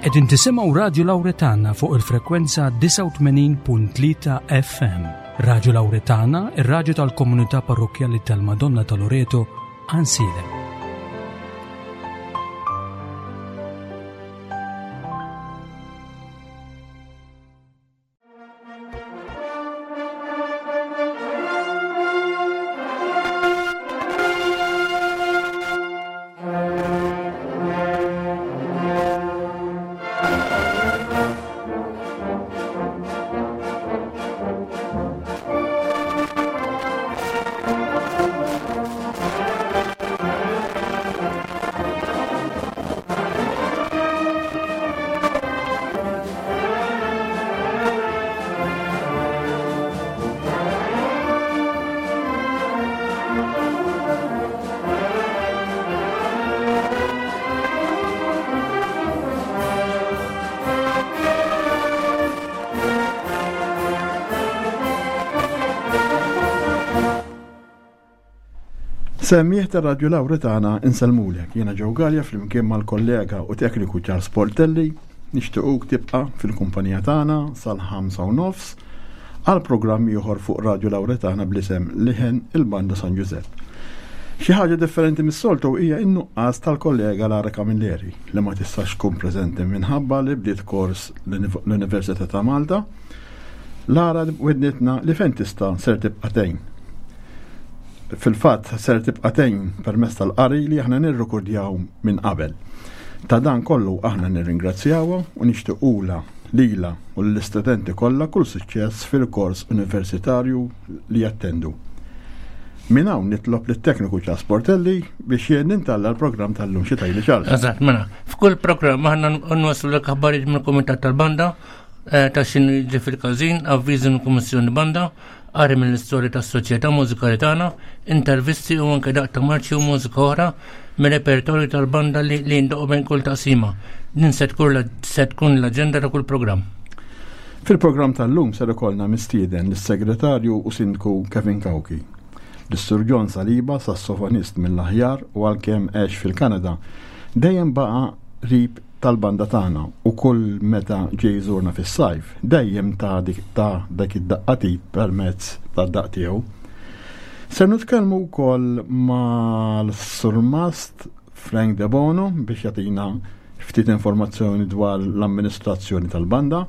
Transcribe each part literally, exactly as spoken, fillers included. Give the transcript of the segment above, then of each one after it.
Qegħdin tisimgħu Radju Lawretana fuq il-frekwenza disgħa u tmenin punt tlieta F M. Radju Lawretana, ir-radju tal-komunità parrokkjali tal-Madonna ta' Loreto, Għajnsielem. Semmiħ ta' Radju Lawretana insellmulek. Jiena Joe Galea flimkien mal-kollega u tekniku Charles Portelli. Nixtiequk tibqa' fil-kumpanija tagħna sal-ħamsa u nofs għal programm ieħor fuq Radju Lawretana bl-isem Liħen il-Banda San Ġużepp. Xi ħaġa differenti mis-soltu hija n-nuqqas tal-kollega Lara Camilleri li ma tistax tkun preżenti minħabba li bdiet kors l-Università ta' Malta. Lara wednitna li fejn tista' ser tibqa' tgħin. Fil-fatt ser tibqa' tgħin permezz tal-qari li aħna nirrekordjaw minn qabel. Ta' dan kollu aħna nirringrazzjawha u nixtiequlha lilha u lill-istudenti kollha kull suċċess fil-kors universitarju li jattendu. Minn hawn nitlob lit-tekniku Charles Portelli biex jien nintalla l-programm tal-lum. Xi tgħidli Charles? Eżatt, mela, f'kull programm aħna nwasslu l aħbarijiet mill-Kumitat tal-Banda, eh, ta' x'inhu jiġri fil-każin, avviżi mill-Kummissjoni Banda, qari mill-istorja tas-soċjetà mużikali tagħna, intervisti u anke daqq ta' marċi u mużika oħra mir-repertorju tal-banda li, li jindoqqu bejn kull taqsima. Din se tkun la-, se tkun l-aġenda ta' kull programm. Fil-programm tal-lum ser ikollna mistieden lis-segretarju u sindku Kevin Cauchi, lis-Sur John Saliba, sassofonist mill-aħjar u għalkemm għex fil-Kanada, dejjem baqa' qrib tal-banda tagħna u kull meta ġej jżurna fis-sajf dejjem ta' dik ta' dak id-daqqatit permezz tad-daqq tiegħu. Ser nitkellmu wkoll mal-Surmast Frank De Bono biex jagħtina ftit informazzjoni dwar l-amministrazzjoni tal-banda.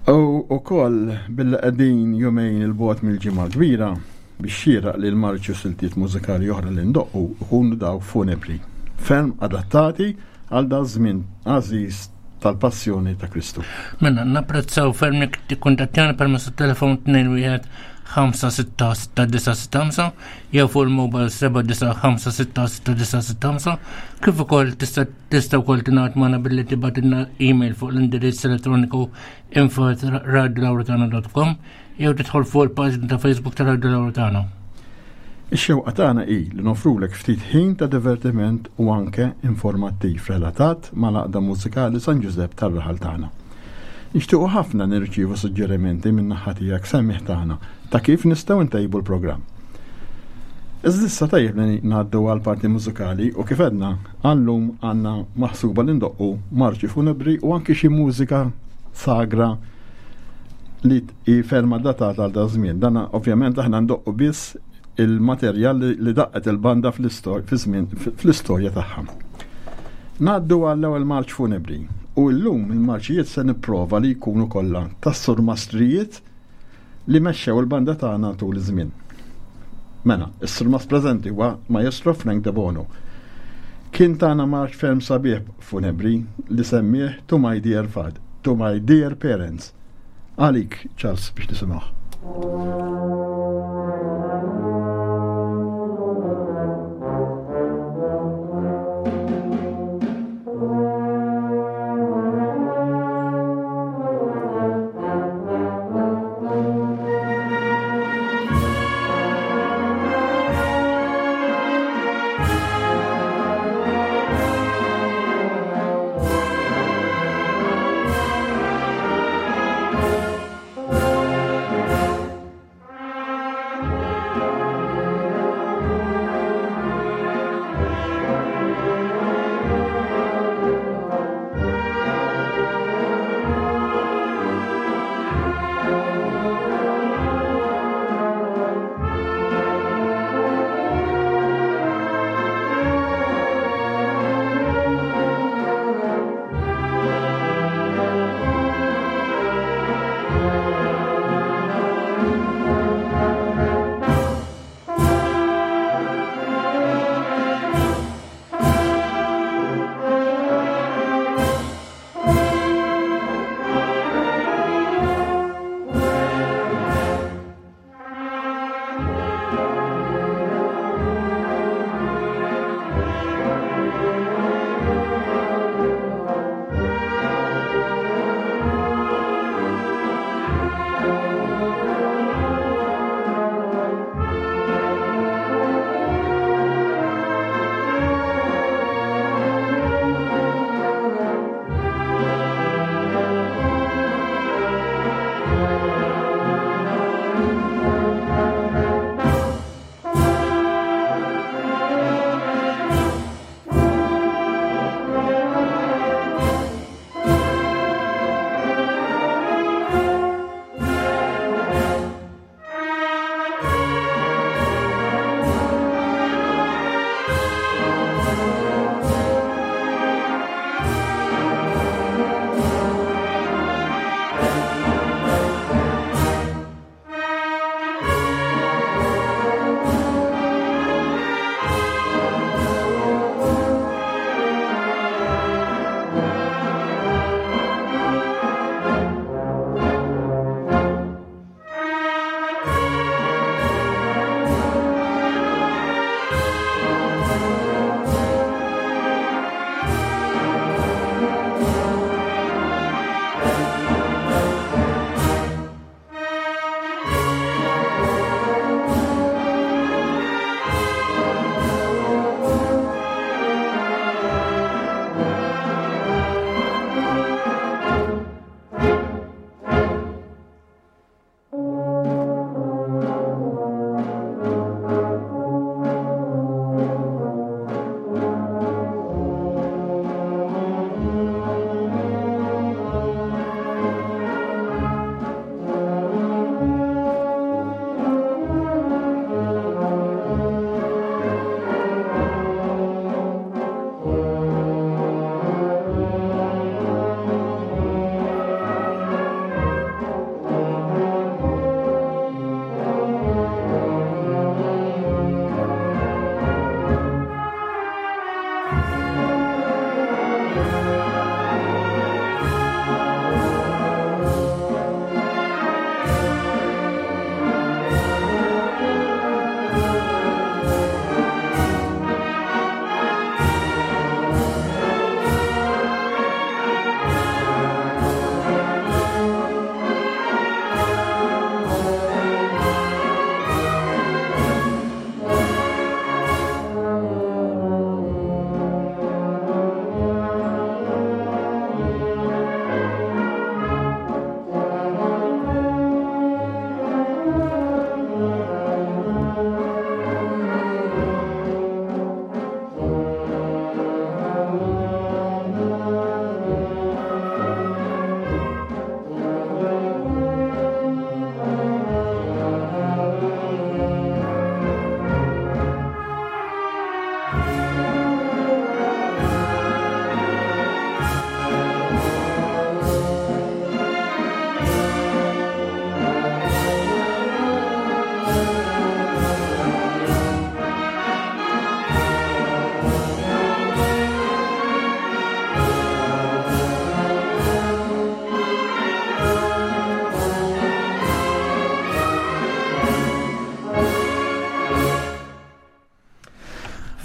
U wkoll billi qegħdin jumejn il-bogħod mill-ġimgħa kbira biex xieraq li l-marċi u siltiet mużikali oħra li ndoqqu ikunu dawk funebri, ferm adattati għal da żmien għażiż tal-passjoni ta' Kristu. Mela, napprezzaw ferm jekk tikkuntattjana permezz tat-telefon tnejn wieħed ħamsa sitta sitta disa' sitta ħamsa jew fuq il-mobile seba' disa' ħamsa sitta sitta disa' sitta ħamsa, kif ukoll tista' tista' wkoll tingħaqad magħna billi tibgħatilna email fuq l-indirizz elettroniku info at radio lawretana dot com jew tidħol fuq il-paġna ta' Facebook ta' Radio Lawretana. Ix-xewqa tagħna hi li nofrulek ftit ħin ta' divertiment u anke informattiv relatat mal-Għaqda Mużikali San Ġużepp tar-raħal tagħna. Nixtiequ ħafna nirċievu suġġerimenti minn naħa tiegħek semmiħ tagħna ta' kif nistgħu ntejbu l-programm. Iżda issa tajjeb li ngħaddu għal parti mużikali u kif għedna għallum għandna maħsuba li ndoqqu marċi funebri u anke xi mużika sagra li hi ferma datata għal da żmien. Dan ovvjament aħna ndoqqu biss il-materjal li, li daqqet il-banda fl-istor-, fi żmien, fl-istorja tagħha. Ngħaddu għall-ewwel marċ funebri u llum il-marċijiet se nipprova li jkunu kollha tas-surmastrijiet li mexxew il-banda tagħna tul iż-żmien. Mela, is-surmast preżenti huwa Maestro Frank De Bono. Kien tagħna marċ ferm sabiħ funebri li semmih To My Dear Father, To My Dear Parents. Għalik, Charles, biex nisimgħu. Thank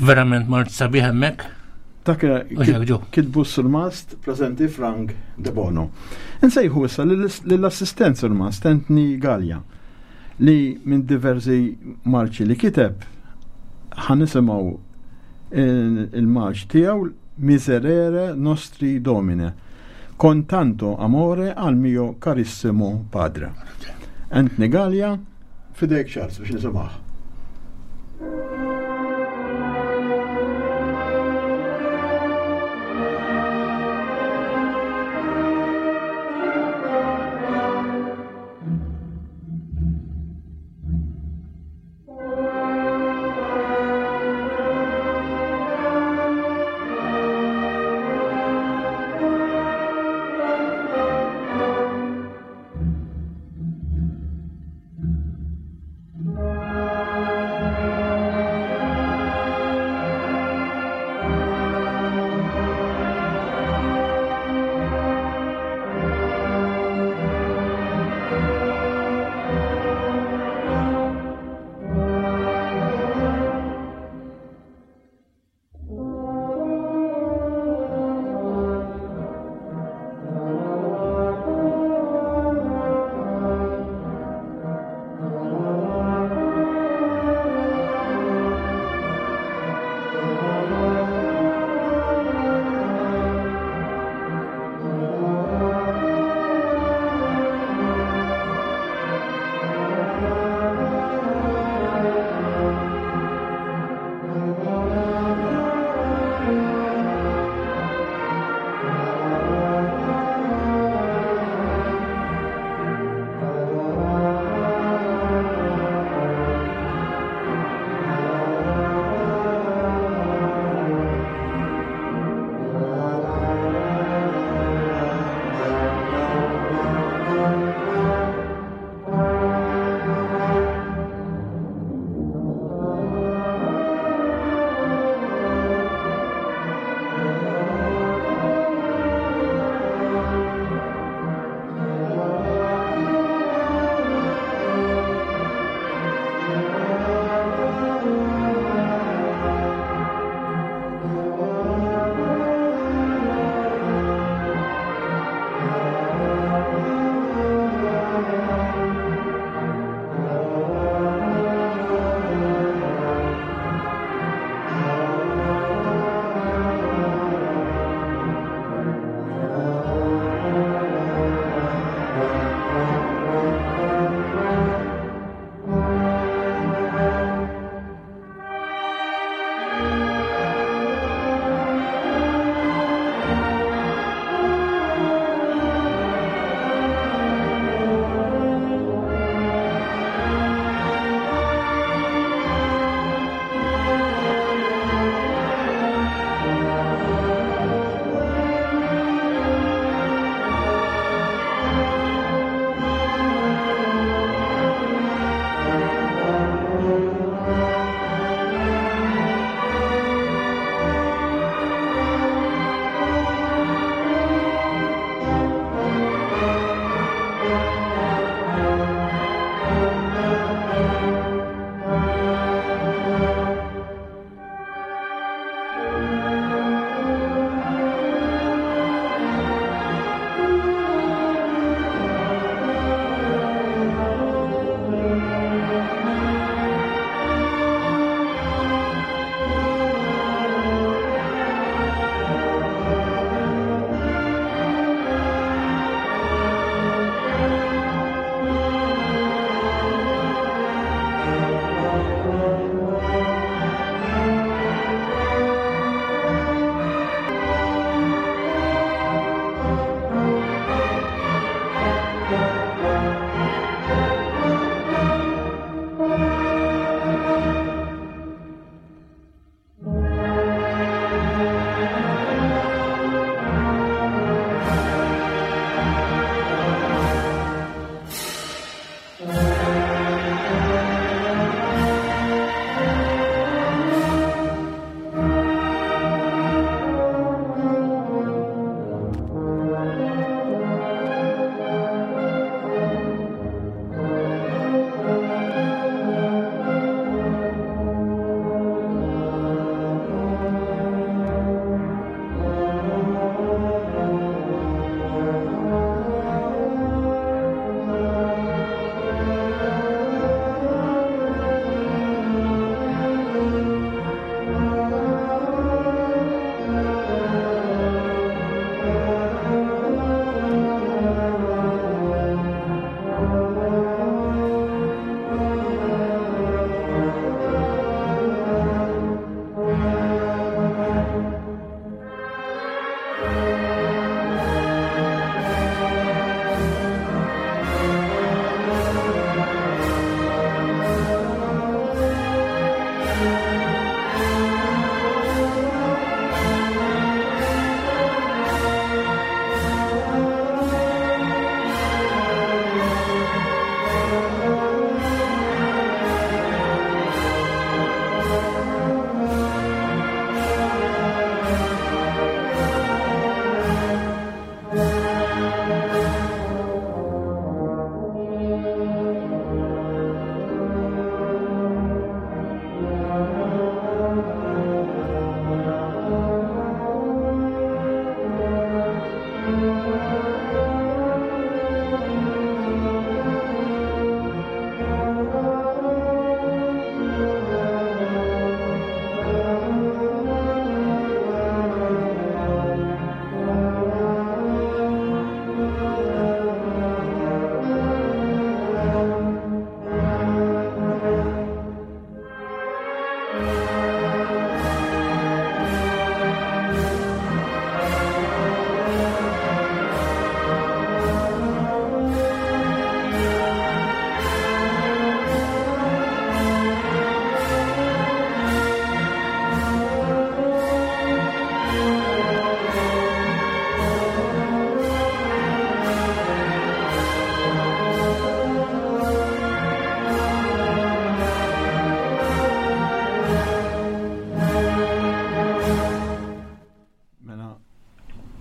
Verament mort sabiħ hemmhekk. Dak kitbu surmast preżenti Frank De Bono. Insejħu issa lill-assistent surmast Anthony Gallia li minn diversi marċi li kiteb ħa nisimgħu il-marċ tiegħu Miserere Nostri Domine con tanto amore al mio carissimo padre. Anthony Gallia, fidejk Charles biex nisimgħu. Thank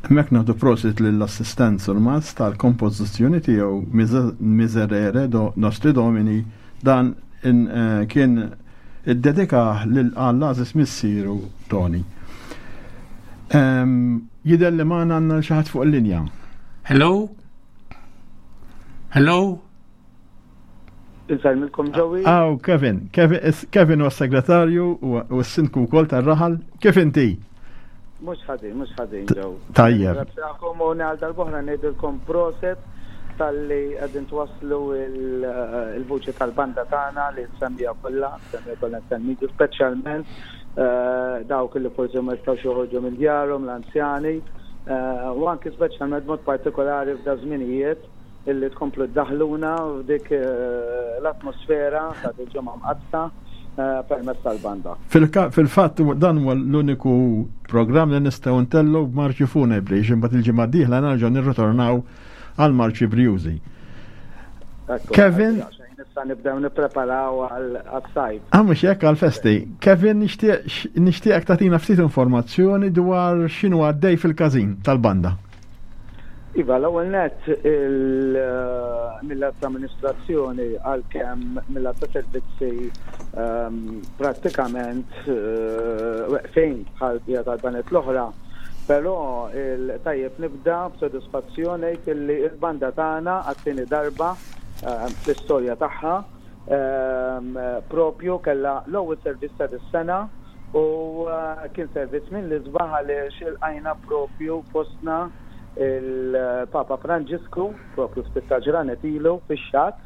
Hemmhekk nagħtu prosit lill-assistent surmast tal-kompożizzjoni tiegħu Miserere do Nostri Domini dan in, eh, kien iddedika lil għall-għażiż missieru Tony. Em, Jidher li magħna għandna xi ħadd fuq il-linja. Hello? Hello? Insellmilkom Joey. Aw, Kevin, Kevin, Kevin huwa s-segretarju u u s-sindku wkoll tar-raħal. Kif inti? Mhux ħażin, mhux ħażin Joe. Tajjeb. Ringrazzjakom u għal darb'oħra ngħidilkom prosit talli qegħdin twaslu il- il-vuċi tal-banda tagħna li semmija kollha, semmija kollha nsemmitu speċjalment eh, dawk li forsi ma jistgħux joħorġu minn djarhom, l-anzjani, eh, u anki speċjalment mod partikolari f'da żminijiet illi tkomplu ddaħluna f'dik eh, l-atmosfera ta' il-ġimgħa mqaddsa eh, permezz tal-banda. Fil-ka- Fil-fatt dan huwa l-uniku programm li nistgħu ntellu b'marċi funebri, imbagħad il-ġimgħa d-dieħla nerġgħu nirritornaw għal marċi brjużi. Ekku, Kevin? għaxejn Issa nibdew nippreparaw għal-sajf. Ah, mhux hekk għal-festi. Kevin, nixtieq nixtieqek tagħtina ftit informazzjoni dwar x'inhu għaddej fil-każin tal-banda. Iva, l-ewwel nett il- mill-att amministrazzjoni għalkemm mill-att ta' servizzi ehm, prattikament eh, weqfin bħal bija tal-baned l-oħra, però il-tajjeb nibda b'sodisfazzjoni illi il-banda tagħna għat-tieni darba ehm, fl-istorja tagħha ehm, propju kella l-ewwel servizz ta' dis-sena u eh, kien servizz minn l-isbaħ għaliex ilqajna propju fostna il-Papa Franġisku, propju ftit ta' ġranet ilu fix-xatt,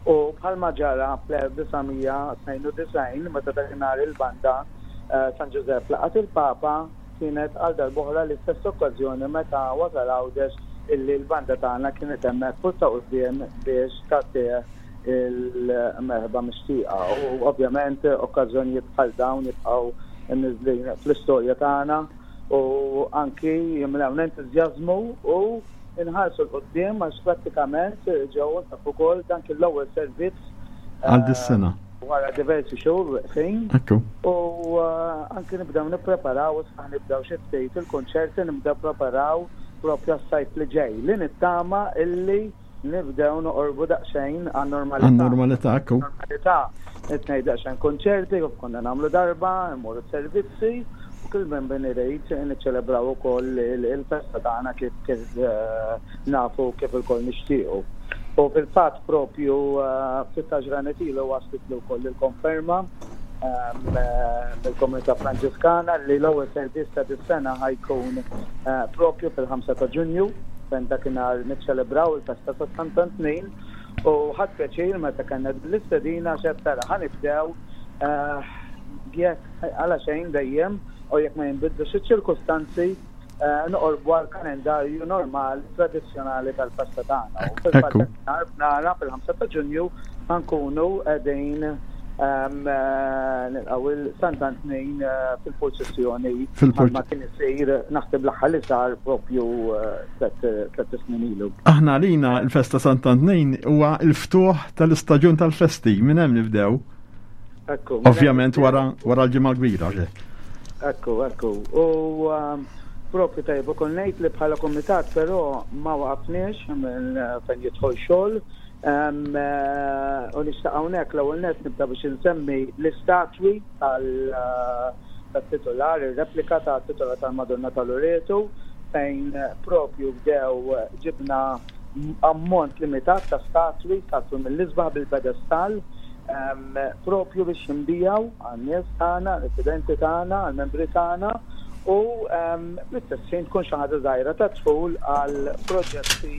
u bħalma ġara fl-elf disa' mija tnejn u disgħin meta dakinhar il-banda eh, San Ġużepp laqat il-Papa, kienet għal darb'oħra l-istess okkażjoni meta wasal Għawdex illi l-banda tagħna kienet hemmhekk fuq ta' quddiem biex tagħtih il-merħba mixtieqa. U ovvjament okkażjonijiet bħal dawn jibqgħu imniżżlin fl-istorja tagħna u anki jimlewna entużjażmu u inħarsu 'l quddiem għax prattikament ġew taf ukoll dan kien l-ewwel servizz Għal dis-sena. Wara diversi xhur weqfin Ekku. u eh, anki nibdew nippreparaw, issa nibdew xi ftit il-konċerti, nibdew preparaw propju s-sajf li ġej li nittama illi nibdew noqorbu daqsxejn għan-normalità. Għan-normalità, ekku. Normalità, nitnej daqsxejn konċerti, kif konna nagħmlu darba, nmorru servizzi, u kull minn bin irid niċċelebraw ukoll il- il-festa tagħna kif kif eh, nafu kif ilkoll nixtiequ. U fil-fatt propju eh, ftit ta' ġranet ilu waslet wkoll il-konferma ehm, eh, mill-Komunità Franġiskana li l-ewwel servizz ta' dis-sena ħa jkun eh, propju fil-ħamsa ta' Ġunju fejn dakinhar niċċelebraw il-festa ta' Sant'Antnin u ħadt pjaċir meta kellna l-istedina xed tara ħa nibdew eh, jekk għala xejn dejjem u jekk ma jinbidlux iċ-ċirkustanzi eh, noqorbu għal kalendarju normali tradizzjonali tal-festa tagħna. U fil-fatt Ekku. nhar b'nara fil-ħamsa ta' Ġunju ħankunu qegħdin ehm, eh, nilqgħu il-Sant'Antnin eh, fil-purċissjoni Fil-purċ- bħalma kien isir naħseb l-aħħar li sar propju eh, tliet tliet snin ilu. Aħna għalina il-festa Sant'Antnin huwa il-ftuħ tal-istaġun tal-festi, minn hemm nibdew. Ekku. Ovvjament wara wara l-ġimgħa kbira, ġek. Ekku, ekku. U um, propju tajjeb ukoll ngħid li bħala komitat però ma waqafniex minn eh, fejn jidħol xogħol. Um, eh, U nixtaq hawnhekk l-ewwel nett nibda biex insemmi l-istatwi tal eh, tat-titular, ir-replika tat-titular tal-Madonna tal-Loreto fejn eh, propju bdew eh, ġibna ammont limitat ta' statwi, statwi mill-isbaħ bil-pedestal, um, propju biex jinbiegħu għan-nies tagħna, residenti tagħna, għall-membri tagħna u um, fl-istess ħin tkun xi ħaġa żgħira ta' dħul għal proġetti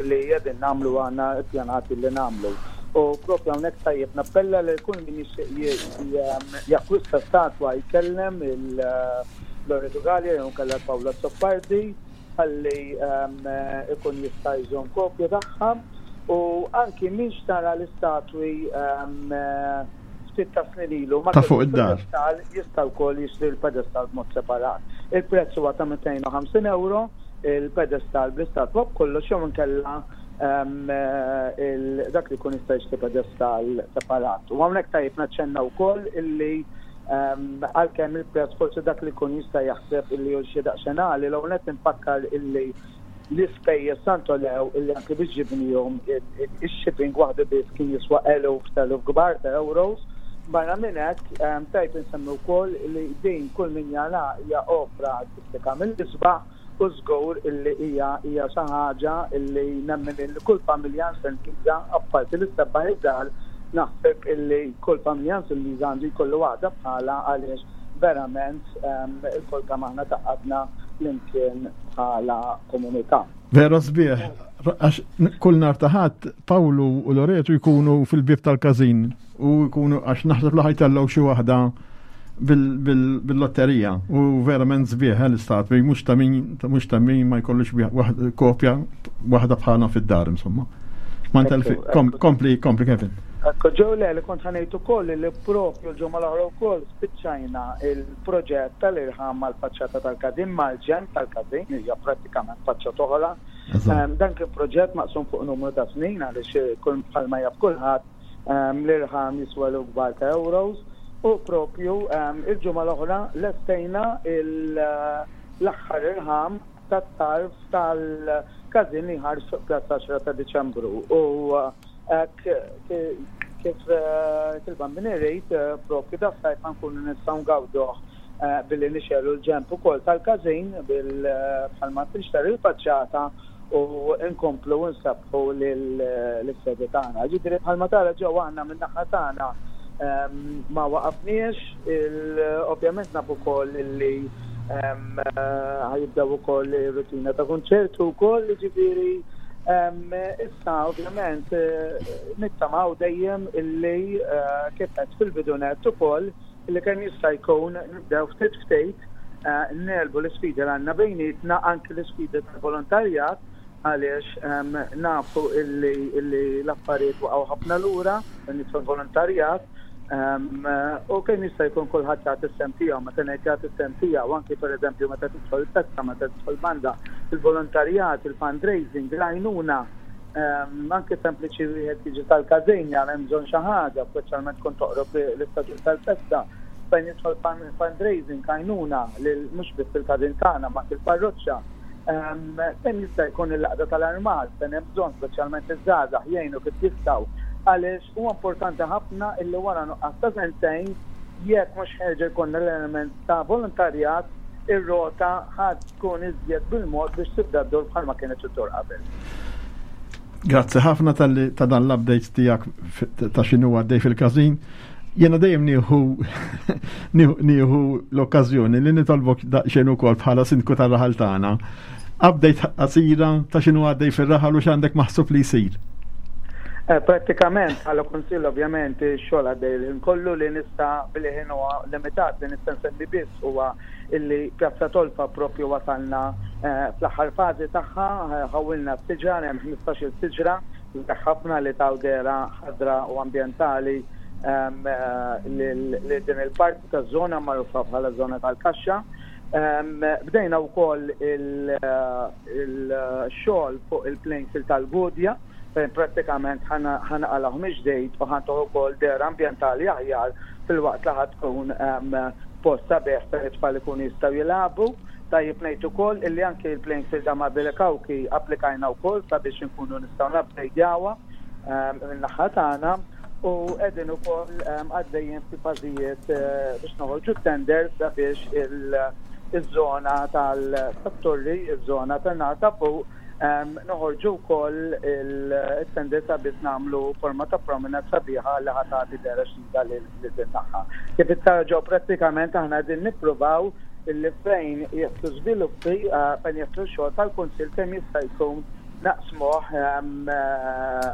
li qegħdin nagħmlu, għandna ppjanati li nagħmlu. U propju hawnhekk tajjeb nappella li kull min jixtieq j- j- jakkwista statwa jkellem il-Loreto Gallia jew kellha Paola Soppardi ħalli um, ikun jista' jżomm kopja tagħha u anki min xtara l-istatwi um, ftit ta' snin ilu ma Ta' fuq kellux id-dar. Pedestal jista' wkoll jixtri l-pedestal b'mod separat. Il-prezz huwa ta' mitejn u ħamsin euro il-pedestal bl-istatwa b'kollox jew inkella um, eh, il- dak li jkun jista' jixtri pedestal separat. U hawnhekk tajjeb naċċenna wkoll illi Għalkemm il-prezz forsi dak li jkun jista' jaħseb illi hu xi daqsxejn għali, l-ewwel nett infakkar illi l-ispejjeż tant għolew illi anke biex ġibnihom, ix-shipping waħdu biss kien jiswa eluf t'eluf kbar ta' euros. Barra minn hekk, tajb insemmi wkoll li din, kull min jara, hija opra artistika mill-isbaħ u żgur illi hija hija xi ħaġa illi nemmen illi kull familja Ingliża, apparti li ssebbaħ id-dar, naħseb illi kull familja Ingliża għandu jkollu waħda bħala, għaliex verament ilkoll kemm aħna tgħaqqadna flimkien bħala komunità. Vera sbieħ, għax kull nhar ta' Ħadd Pawlu u Loreto jkunu fil-bib tal-każin u jkunu, għax naħseb li ħa jtellgħu xi waħda bil-lotterija u verament sbieħ eh, l-istatwi, mhux ta' min mhux ta' min ma jkollux kopja waħda bħalna fid-dar, insomma. Ma kompli, kompli, Kevin. Ekku, ġew le li kont ħa ngħid ukoll li propju l-ġimgħa l-oħra wkoll spiċċajna il-proġett tal-irħam mal-faċċata tal-każin, mal-ġenb tal-każin, hija prattikament faċċata oħra. Dan kien proġett maqsum fuq numru ta' snin, għaliex kull bħalma jaf kulħadd, l-irħam jiswa kbar ta' euros, u propju il-ġimgħa l-oħra lestejna l-aħħar irħam tat-tarf tal-każin li ħares fuq Pjazza għaxra ta' Diċembru. U kif il-Bambin irid, propju das-sajf nkunu nistgħu ngawduh billi nixegħlu l-ġenb ukoll tal-każin bil bħalma tinxtegħel il-faċċata u nkomplu nsabbħu l-sede tagħna. Ġifieri bħalma tara ġew, aħna min-naħa tagħna ma waqafniex, ovvjament nafu wkoll li ħa jibdew ukoll rutina ta' konċertu wkoll, ġifieri issa ovvjament nittamaw dejjem illi, kif qed fil-bidunet ukoll, illi kemm jista' jkun nibdew ftit ftit negħlbu l-isfidi li għandna bejnietna, anki l-isfidi tal-volontarjat, għaliex nafu illi l-affarijiet waqgħu ħafna lura fil-volontarjat u kemm jista' jkun kulħadd jagħti s-sehem tiegħu. Meta ngħid jagħti s-sehem tiegħu, anki pereżempju meta tidħol festa, meta tidħol banda, il-volontarjat, il-fundraising, l-għajnuna, anke sempliċi wieħed jiġi tal-każin jara hemm bżonn xi ħaġa, speċjalment kont toqrob l-istaġun tal-festa, fejn jidħol fundraising, għajnuna lil mhux biss il-każin tagħna ma il-parroċċa. Kemm jista' jkun il-għaqda tal-armar, fejn hemm bżonn, speċjalment iż-żgħażagħ jgħinu kif jistgħu, għaliex huwa importanti ħafna illi wara nuqqas ta' sentejn, jekk mhux ħa jerġa' jkollna l-element ta' volontarjat, ir-rota ħa tkun iżjed bil-mod biex tibda ddur bħalma kienet iddur qabel. Grazzi ħafna tal ta' dan l-updates tiegħek ta' x'inhu għaddej fil-każin. Jena dejjem nieħu nieħu l-okkażjoni li nitolbok daqsxejn ukoll bħala sindku tar-raħal tagħna. Update qasira ta' x'inhu għaddej fir-raħal u x'għandek maħsub li jsir. Eh, prattikament, bħala kunsill ovvjament xogħol għaddej il kollu. Li nista' billi huwa limitat, li nista' nsemmi biss huwa illi Pjazza Tolfa propju wasalna eh, fl-aħħar fażi tagħha, ħawilna s-siġar, hemm ħmistax-il siġra ħafna li taw dehra ħadra u ambjentali ehm, eh, li din il-parti ta' zona magħrufa bħala zona tal-kaxxa. Ehm, bdejna wkoll il-xogħol fuq il-playing field tal-Gudja, fejn prattikament ħa naqilgħuh mill-ġdid u ħa ntuh ukoll dehra ambjentali aħjar, filwaqt li ħa tkun post sabiħ fejn it-tfal ikunu jistgħu jilagħbu. Tajjeb ngħid ukoll illi anke il-playing field ta' Mabile Kawki applikajna wkoll sabiex inkunu nistgħu nupgradejawa min-naħa tagħna u qegħdin ukoll għaddejjin fi fażijiet eh, biex noħorġu tender sabiex il-żona tal-torri, il-żona tan-naħa ta' fuq, noħorġu wkoll il-tender sabiex nagħmlu forma ta' promenade sabiħa li ħa tagħti dehra ġdida lil din naħa. Kif ġew, prattikament aħna qegħdin nippruvaw illi fejn jidħlu żviluppi, eh, fejn jidħlu xogħol tal-kunsill, kemm jista' jkun naqsmuh eh,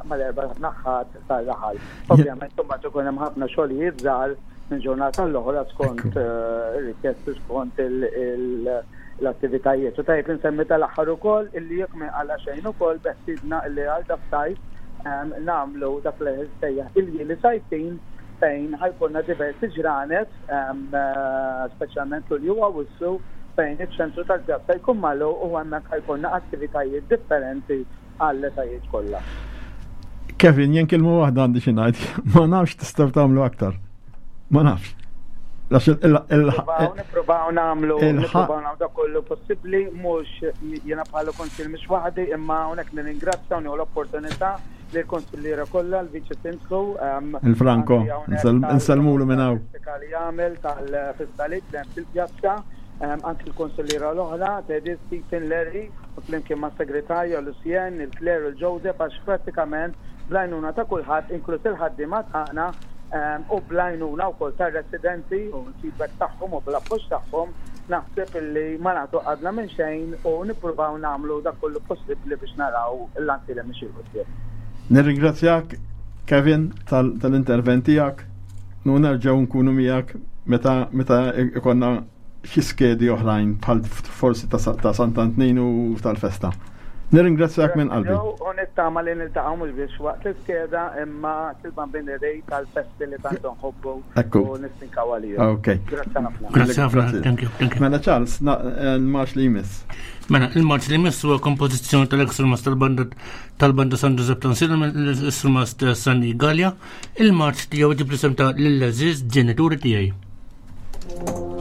mal-erba' naħat tal-raħal. Ovvjament, imbagħad ikun hemm ħafna xogħlijiet żgħar minn ġurnata l-oħra skont eh, ir-rikjesti, skont l-attivitajiet. U tajjeb nsemmi tal-aħħar ukoll illi jekk ma għala xejn ukoll beħsiebna illi għal das-sajf nagħmlu dak li sejjaħ il-ljieli sajfin, fejn ħa jkollna diversi ġranet, speċjalment Lulju, Awwissu, fejn iċ-ċentru tal-pjazza jkun magħluq u hemmhekk ħa jkollna attivitajiet differenti għall-etajiet kollha. Kevin, jien kelma waħda għandi xi ngħid, ma nafx tistgħu tagħmlu aktar. Ma nafx. Nippruvaw nagħmlu nippruvaw nagħmlu dak kollu possibbli, mhux jiena bħala kunsill mhux waħdi, imma hawnhekk nirringrazzja u nieħu l-opportunità lill-konsilliera kollha, l-Viċi Sindku, il-Franco, nsellmulu minn hawn. Li jagħmel tal-fistalit li hemm fil-pjazza, anki l-konsilliera l-oħra, Teddy, Stephen, Larry, u flimkien ma' segretarja Lucien, il-Claire, il-Joseph, għax pratikament bl-għajnuna ta' kulħadd, inkluż il-ħaddiema tagħna, u bl-għajnuna wkoll tar-residenti u l-feedback tagħhom u bl-appoġġ tagħhom, naħseb illi ma nagħtu qadna minn xejn u nippruvaw nagħmlu dak kollu possibbli biex naraw l-Għansielem mixi 'l quddiem. Nirringrazzjak Kevin tal-intervent tiegħek, u nerġgħu nkunu miegħek meta meta ikonna xi skedi oħrajn bħal forsi ta' Sant'Antnin u tal-festa. Nirringrazzjak minn qalbi. U nittama li niltaqgħu mhux biex waqt l-iskeda imma til-Bambin Rej tal-festi li tant nħobbu u nistinkaw għalihom. Ok. Grazzi ħafna. Grazzi ħafna. Thank you. Thank you. Mela Charles, il-marċ li jmiss. Mela, il-marċ li jmiss huwa kompożizzjoni tal-ex-surmast tal-banda tal-banda San Giuseppe Tansila mill-surmast Sanni Gallia. Il-marċ tiegħu ġib l-isem ta' lill-għeżież ġenituri tiegħi. Thank you.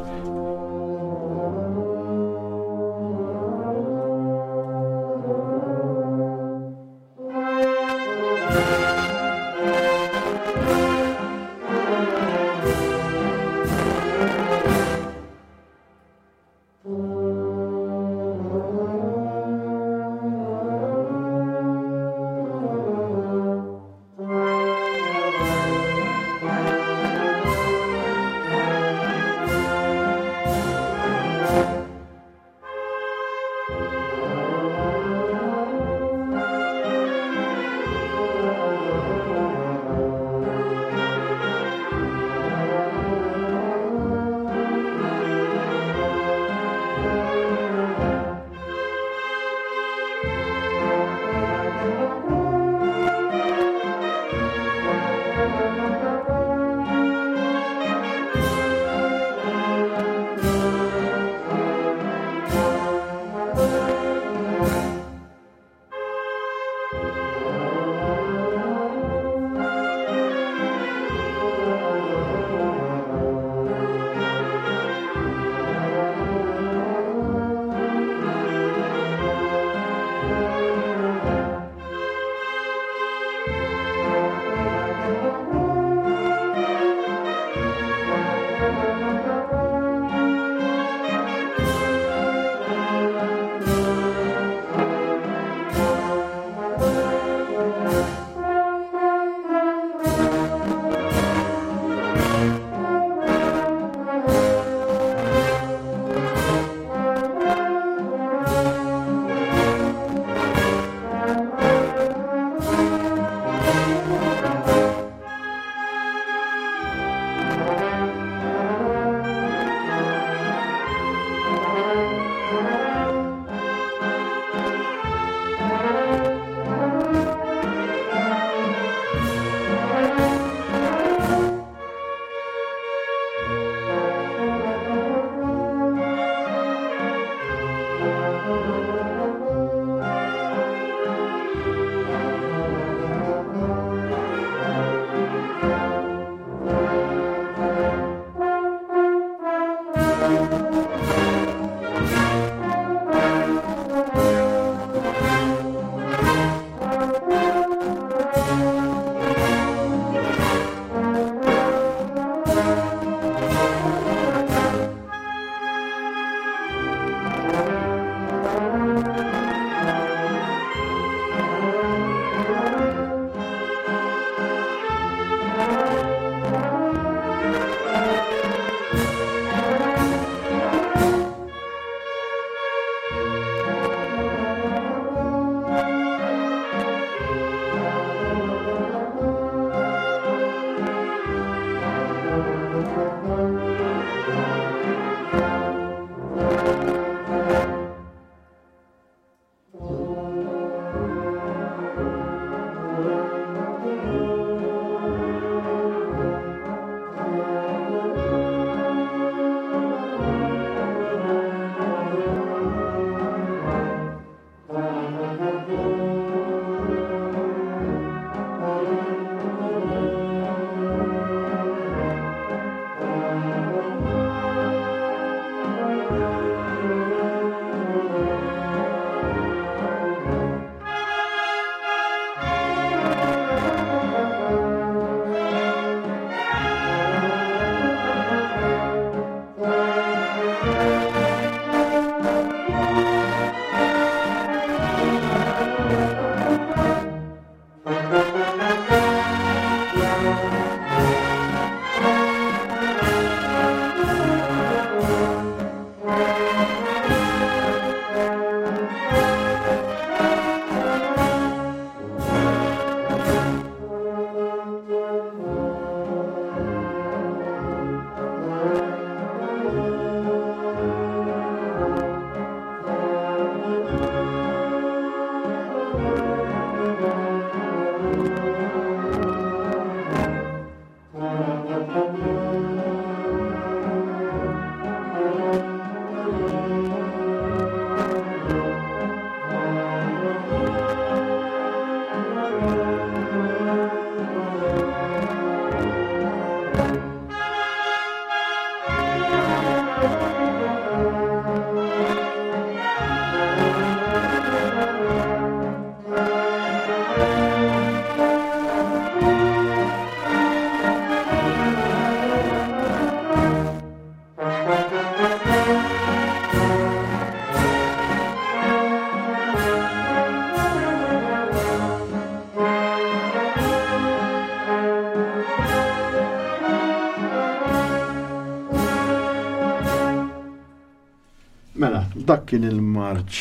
Mela, dak kien il-marċ.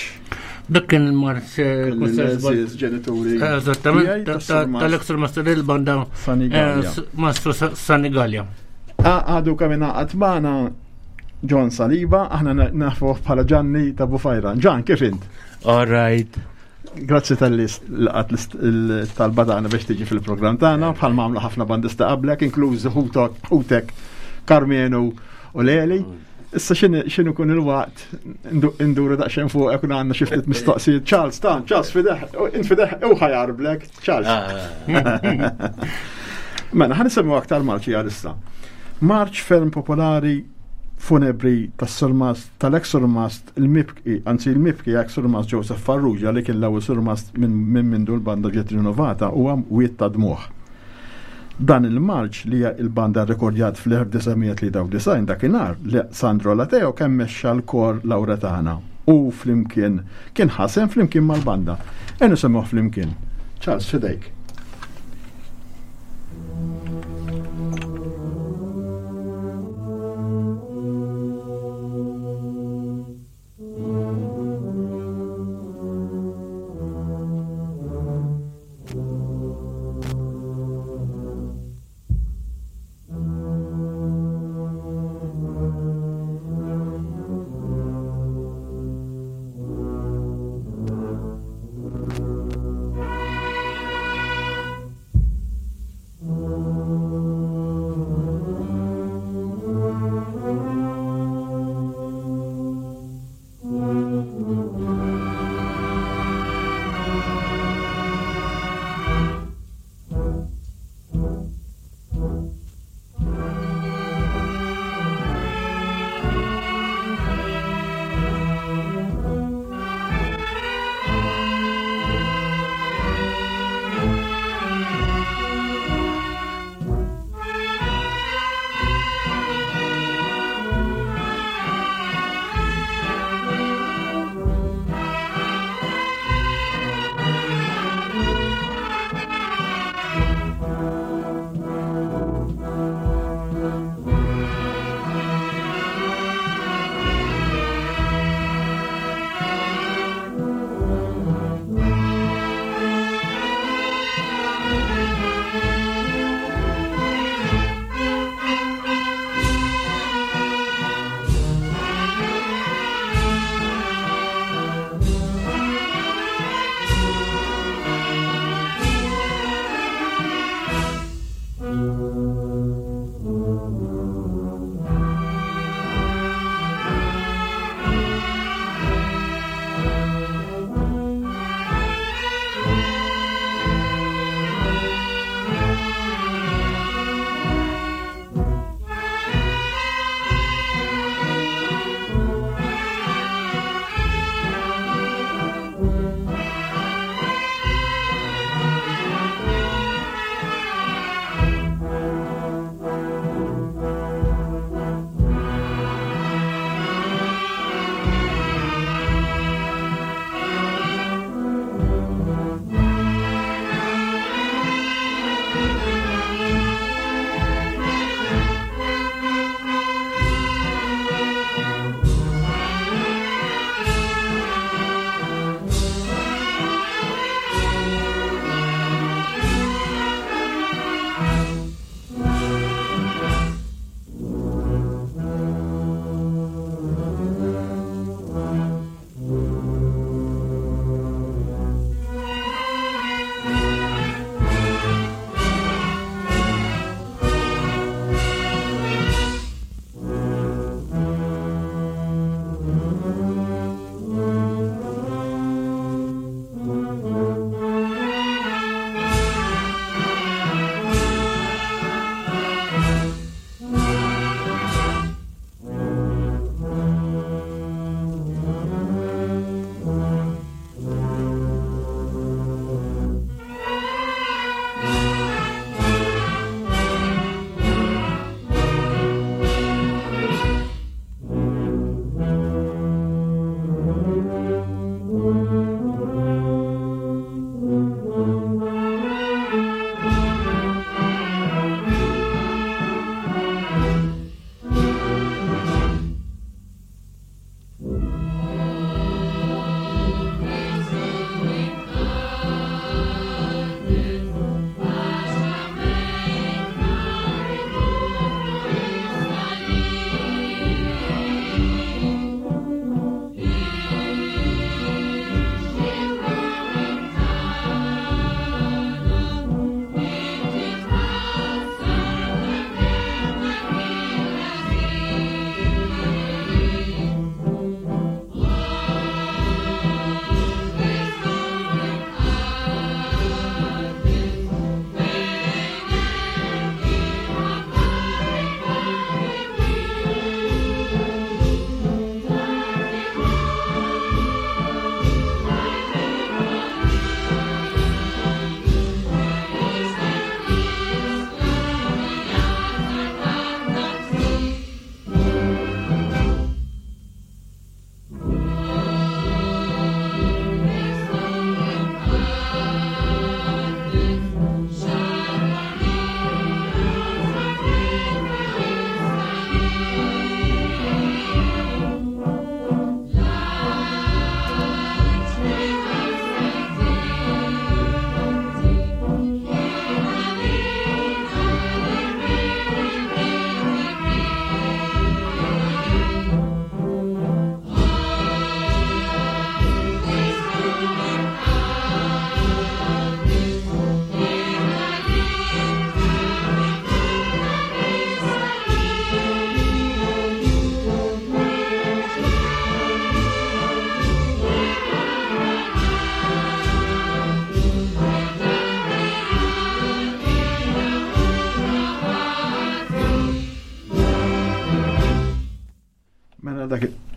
Dak kien il-marċ eh, L-eżiż ġenituri. Eżattament, tal-Extra Master il-banda Sanigallia. eh, Mastru Sa- Sanigallia. Għadu kamina għatmana John Saliba, aħna na- nafuh bħala Gianni ta' Bufajra. Gian, kif int? All right. Grazzi tal-li laqat l-talba tagħna biex tiġi fil-programm tagħna, bħal ma għamlu ħafna bandista qablek, inkluż ħutok, ħutek Karmenu u Leli. Issa x'inhu x'inhu kun il-waqt ndu- nduru daqsxejn fuq kun għandna xi ftit mistoqsijiet. Charles, tan, Charles fideħ, int fideħ u ħajarblek, Charles. Mela, ħa nisemmu aktar marċi għalissa. Marċ ferm popolari funebri tas-surmast tal-ex-surmast il-mibki, anzi il-mibki ex-surmast Joseph Farrugia li kien l-ewwel surmast minn minn mindu l-banda ġiet rinnovata huwa Wied ta' Dmuħ. Dan il-marċ li il-banda rekordjat fl-elf disa' mija tlieta u disgħin dakinhar li Sandro Lateo kemm mexxa l-kor Lauretana u flimkien kien ħasem flimkien mal-banda. Enu semmuh flimkien. Charles, fidejk. Thank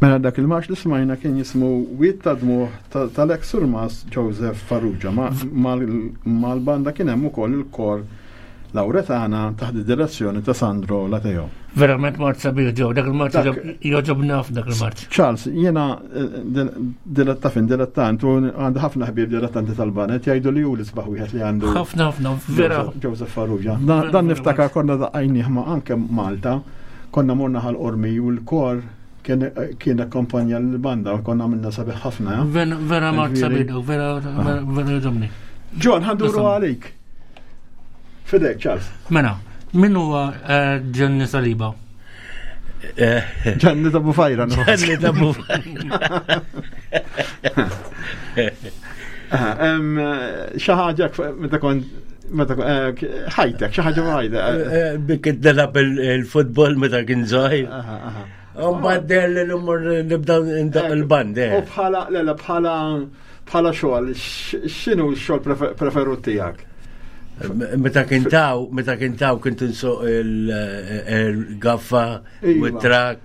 Mela dak il-marx li smajna kien jismu Wied ta' Dmugħ tal-ex Surmas Joseph Farrugia. Mal-banda kien hemm ukoll il-kor Lauretana taħt id-direzzjoni ta' Sandro Lateo. Verament marċ sabiħ ġew, dak il-marċ jogħġobni ħafna dak il-marċ. Charles, jiena diletta fin dilettant u għandi ħafna ħbieb dilettanti tal-banet jgħidu li hu l-isbaħ wieħed li għandu. Ħafna ħafna, vera. Joseph Farrugia. Dan niftakar konna daqqajnieh ma' anke Malta, konna morna Ħal Qormi u l-kor kien akkompanja l-banda u konna għamilna sabiħ ħafna. Vera marċ sabiħ, vera vera jogħġobni. John, ħanduru għalik. Fidek, Charles. Mela, min huwa Gianni Saliba? Gianni ta' Bufajra. Gianni ta' Bufajra. Xi ħaġa meta kont meta ħajtek, xi ħaġa ħajtek. Bik nilgħab il-futbol meta kien żgħir. Mbagħad dell l-umur nibda ndaq il-band. U bħala le le bħala bħala xogħol, x'inhu x-xogħol preferut tiegħek? Meta kien taw, meta kien taw kont insuq il-gaffa u t-trak.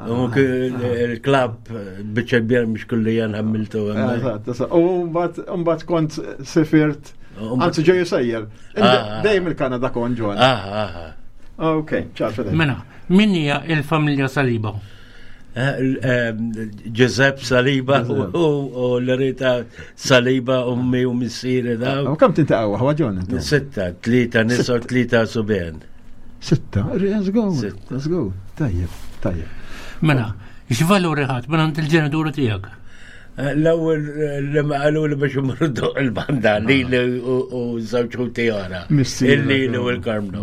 U il-klabb biċċa kbira mhux kulli ħammiltu. U mbagħad kont sifirt, anzi ġej sejjer. Dejjem il-Kanada kont ġon. Ok, ċar. Mela, min hija il-familja Saliba? Giuseppe Saliba u Loreta Saliba, ummi u missieri daw. U kemm tintaqgħu ħwa Ġon intom? Sitta, tlieta nisa u tlieta subien. Sitta, let's go, let's go. Tajjeb, tajjeb. Mela, x'valuri ħadd minn għand il-ġenituri tiegħek? L-ewwel li ma qalu li biex imorru doq il-banda lili u żewġ ħuti oħra. Il-Lili u l-Karmnu.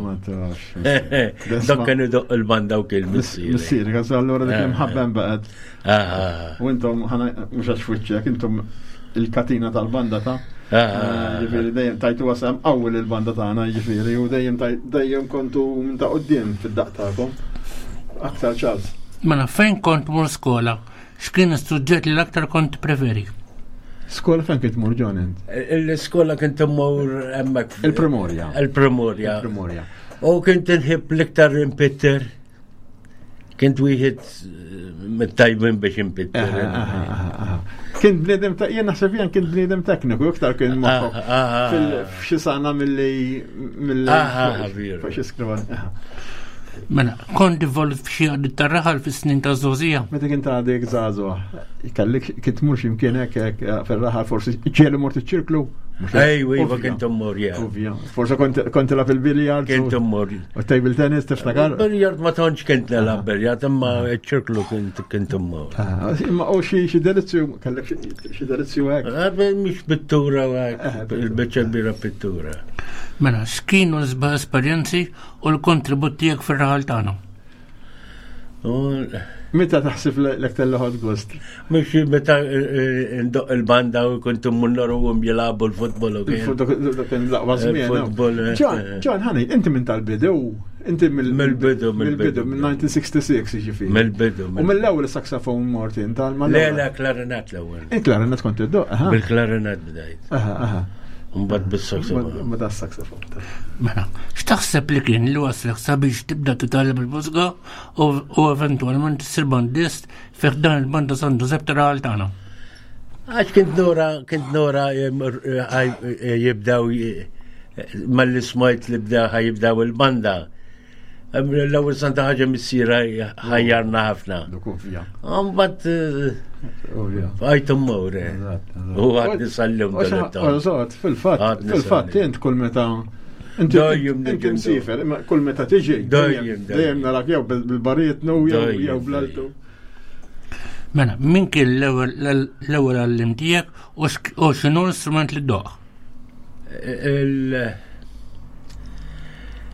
Dok kienu doq il-banda u kien missieri. Missieri, għax allura dik imħabben baqgħet. U intom mhux għax f'wiċċek, intom il-katina tal-banda ta' Ġifieri dejjem tajtu wasam qawwi lill-banda tagħna, jiġifieri u dejjem dejjem kontu minn ta' quddiem fid-daqq tagħkom. Aktar Charles. Mela fejn kont mur skola? X'kien is-suġġett li l-aktar kont preferi? Skola fejn kont tmur John int? L-iskola kont immur hemmhekk. Il-Primorja. Il-Primorja. Il-Primorja. U kont inħib l-iktar impitter. Kint wieħed mit-tajbin biex impitter. Kien bniedem ta' jien naħseb jien kien bniedem tekniku iktar kien moħħok f'xi sana milli milli fuq xi skrivan. Mela, kont involut f'xi għaddi tar-raħal fis-snin ta' żgħożija. Meta kien għadek żagħżugħ, kellek kien tmur x'imkien hekk fir-raħal forsi ġieli mort iċ-ċirklu? Ejwa, iva kont immur, ja. Forse kont tilgħab il-biljard. Kont immur. U table tennis tiftakar? Biljard ma tantx kont nilgħab biljard, imma ċ-ċirklu kont kont immur. Imma u xi xi delizzju, kellek xi delizzju hekk? Mhix pittura hekk, il-biċċa kbira pittura. Mela, x'kienu l-isbaħ esperjenzi u l-kontribut tiegħek fir-raħal tagħna? Meta taħseb l-aktar li ħadd gost? Mhux meta ndoq il-banda u kont immur narahom jilagħbu l-futbol u kien. Kien l-aqwa żmien. Ġan, ħani, inti minn tal-bidu, inti mill-bidu, mill-bidu, minn nineteen sixty-six jiġifieri. Mill-bidu. U mill-ewwel is-saxophone mort int tal Le, le, klarinett l-ewwel. Il-klarinett kont iddoq, aha. Bil-klarinett bdejt. Aha, aha. Mbagħad bis-saxophone. Mbagħad as-saxophone. Mela, x'taħseb li kien li waslek sabiex tibda titgħallem il-mużika u eventwalment issir bandist fih dan il-banda San Giuseppe tar-raħal tagħna? Għax kint nora, kint nora jibdew malli smajt li bdew ħajibdew il-banda. L-ewwel santa ħaġa missiera ħajjarna ħafna. Mbagħad għajt immur. U għad nisallim dal-ittam. Eżatt, fil-fatt, fil-fatt int kull meta inti msifer, kull meta tiġi dejjem narak jew bil-baritnu jew bl-altu. Mela, min kien l-ewwel għallim tiegħek u x'inhu l-istrument li ddoq?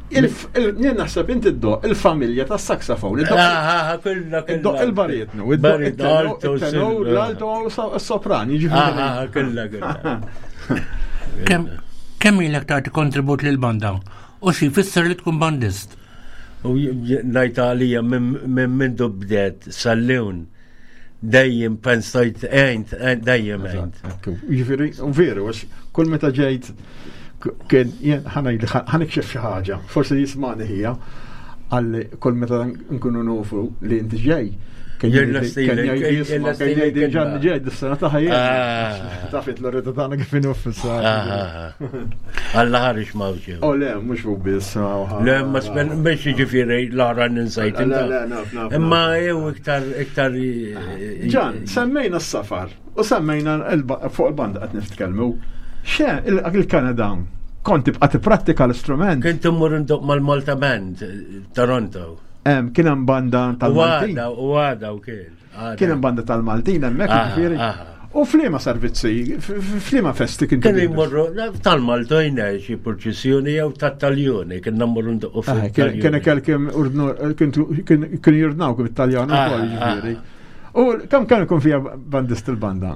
Jien naħseb inti ddoq il-familja tas-saxophone. Iddoq il-baritnu, iddoq il-tenor, l-alto u s-sopran, jiġifieri. Kollha kollha. Kemm ilek tagħti kontribut lill-banda u xi jfisser li tkun bandist? U ngħid għalija minn mindu bdiet sal-lewn dejjem pensajt għejnt, dejjem għejnt. Jiġifieri, veru, għax kull meta ġejt kien jien ħanikxef xi ħaġa, forsi jismani hija, għalli kull meta nkunu nufu li inti ġej, Kien jgħid Ġanni ġej dis-sena ta' ħajja. Tafit l-orrita tagħna kif inhu fis-sena. Alla ħareġ mawġew. Oh le, mhux hu biss. Le, ma spen biex jiġifieri l-ara ninsajt. Imma jew iktar iktar. Ġan, semmejna s-safar u semmejna fuq il-banda qed nitkellmu. Xe, il-Kanada kont tibqa' tipprattika l-istrument. Kint immur indoq mal-Malta Band, Toronto. Kien hemm banda tal-Maltin. U għada u kien. Kien hemm banda tal-Maltin hemmhekk jiġifieri. U f'liema servizzi, f'liema festi kien Kien jmorru tal-Maltojna xi purċissjoni jew tat-Taljoni, kien mmorru ndoqqu fuq. Kien kelkim kienu jurdnaw kif it-Taljan ukoll jiġifieri. U kemm kien ikun fiha bandist il-banda?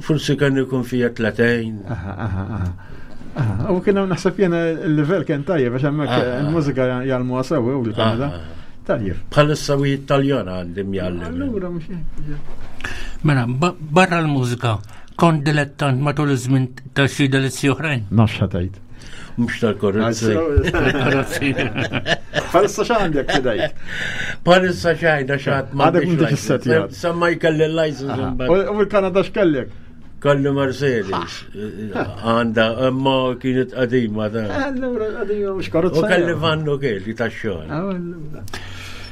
Forsi kien ikun fiha tletejn. Aha, aha, aha. U kien hemm naħseb jiena l-livell kien tajjeb għax hemmhekk il-mużika jgħallmuha sewwa u l-Kanada. Tajjeb. Bħalissa u Italjana għandi mjallem. Allura mhux hekk. Mela, barra l-mużika, kont dilettant matul iż-żmien ta' xi delizzi oħrajn? Nafx ħatajt. Mhux tal-korrozzi. Tal-korrozzi. Bħalissa x'għandek fidejk? Bħalissa x'għajda x'għad ma. Għadek m'intix issettjat. Sa ma jkelli l-license. U l-Kanada x'kellek? Kollu Mercedes. Għanda, imma kienet qadima ta'. Allura qadima mhux karozza. U kelli vannu kelli tax-xogħol.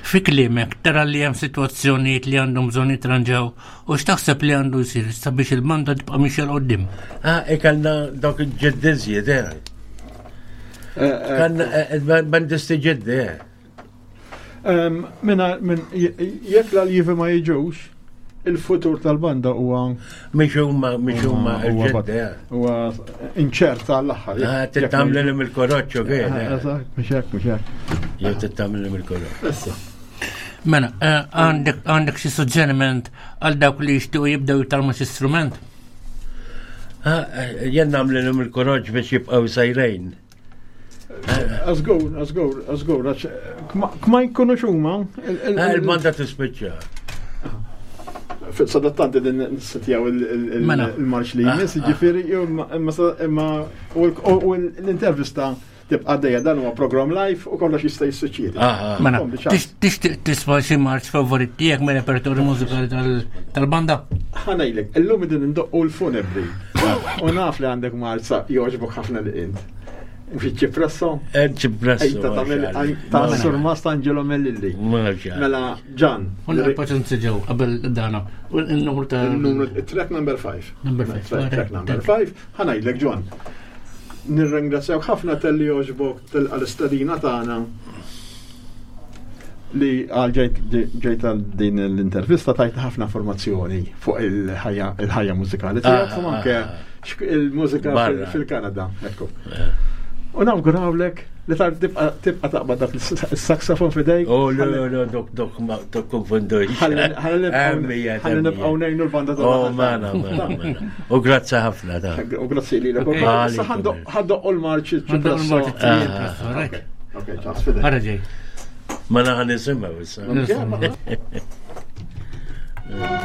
Fi kliemek tara li hemm sitwazzjonijiet li għandhom bżonn jitranġaw u x'taħseb li għandu jsir sabiex il-banda tibqa' mixja 'l quddiem? Ah, ikellna dawk il-ġeddiżjiet, eh. Kan bandisti ġeddi, eh. Minna, jekk l-aljivi ma jiġux, il-futur tal-banda huwa mhix huma mhix huma l-ġedda. Huwa inċerta għall-aħħar. Ah, tittamlilhom il-koroċċ kien. Eżatt, mhux hekk, mhux hekk. Jew tittamlilhom il-koroċċ. Issa. Mela, għandek għandek xi suġġeriment għal dawk li jixtiequ jibdew jitgħallmu xi strument? Jien nagħmlilhom il-koroċċ biex jibqgħu sejrejn. Azgur, azgur, azgur, kma jkunux huma. Il-banda tispiċċa. Sadattanti din nissetjaw il-marċ li jmiss, ġifieri, imma u l-intervista tibqa' dejja dan huwa program live u kollox jista' jissuċċedi. Mela, tixtieq tisma' xi marċ favorit tiegħek mir-repertorju mużikali tal-banda? Ħa ngħidlek, illum qegħdin indoqqu l-funebri. U naf li għandek marza jogħġbok ħafna li int. Mhux ċipresso? Ċipresso. Ta' Surmast Angelo Mellilli. Mela, Ġan. Unna paċenza ġew qabel dana. Il-numru ta' il-numru track number five. Number five. Track number five. Ħa ngħidlek Ġan. Nirringrazzjawk ħafna talli jogħġbok tilqa' l-istedina tagħna li għal ġejt għal din l-intervista tajt ħafna informazzjoni fuq il-ħajja mużikali tiegħek u anke il-mużika fil-Kanada. Ekku. U nawgurawlek li tibqa' taqbad dak is-saxofon f'idejk. Oh, le, le, dok, dok, ma tikkonfundux. Ħalli nibqgħu ngħinu l-banda ta' Oh, mela, mela, mela. U grazzi ħafna ta'. U grazzi lilek. Issa ħandoqqu l-marċ ċipresso. Ok, ċas f'idejk. Ara ġej. Ma naħan nisimgħu issa. Thank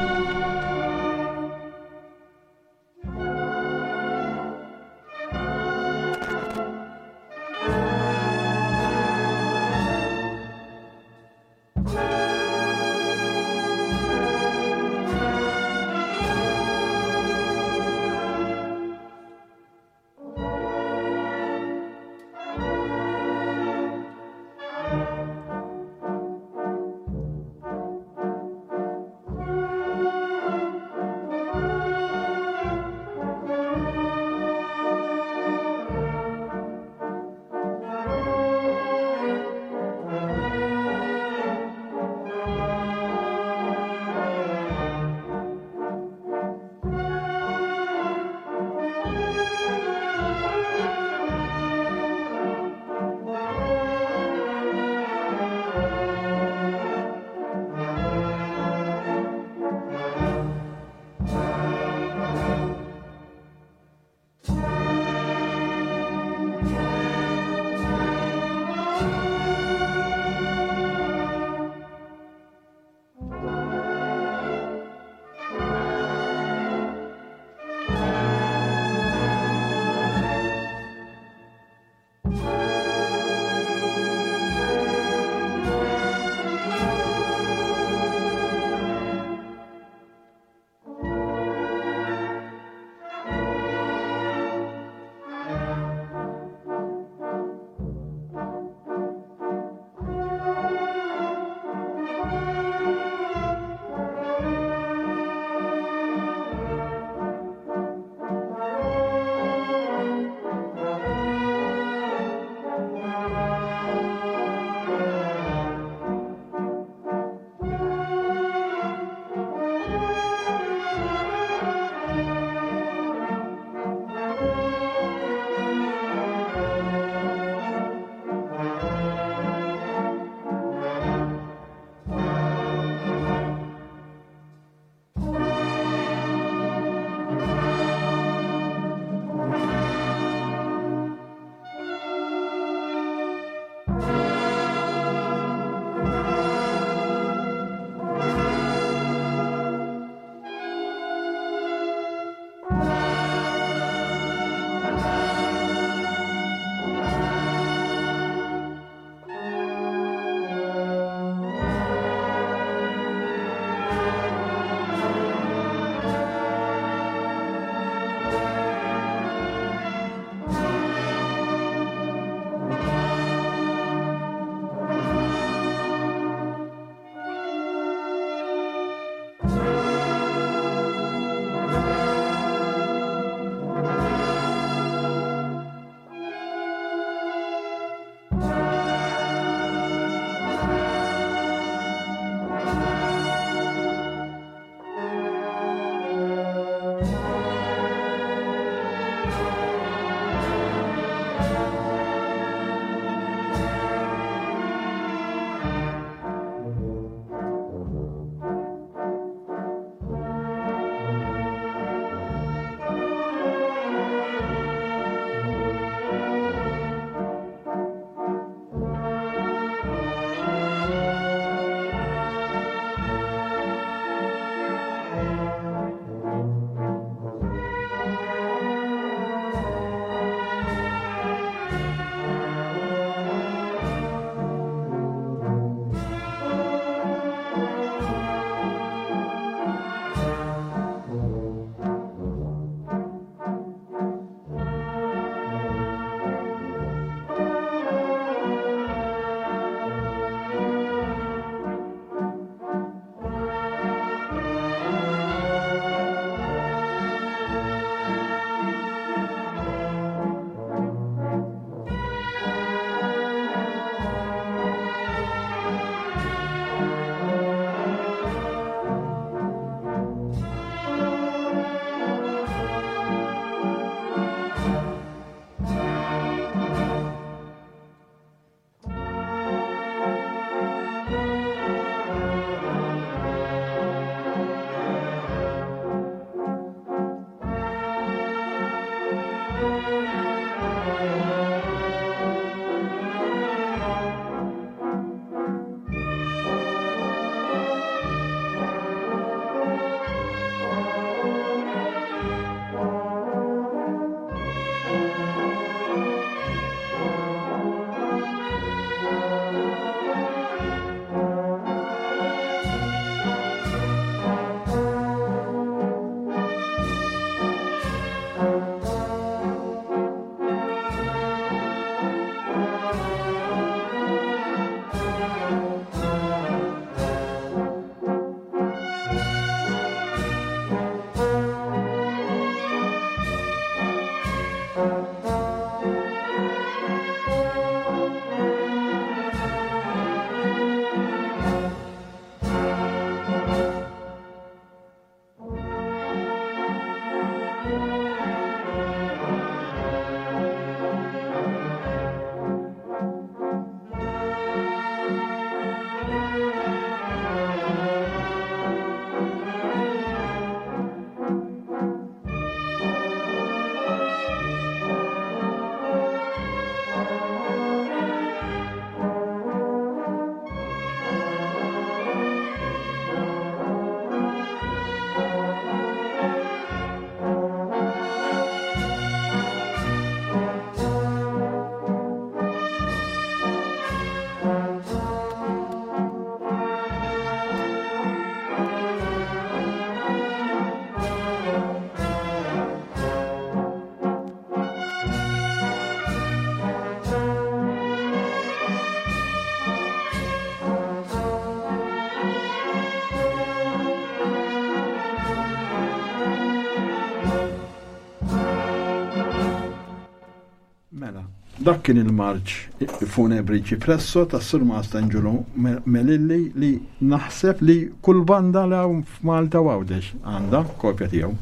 Dak kien il-marċ funebri Ċipresso tas Surmast Angelo Melilli li naħseb li kull banda li hawn f'Malta u Għawdex għandha kopja tiegħu.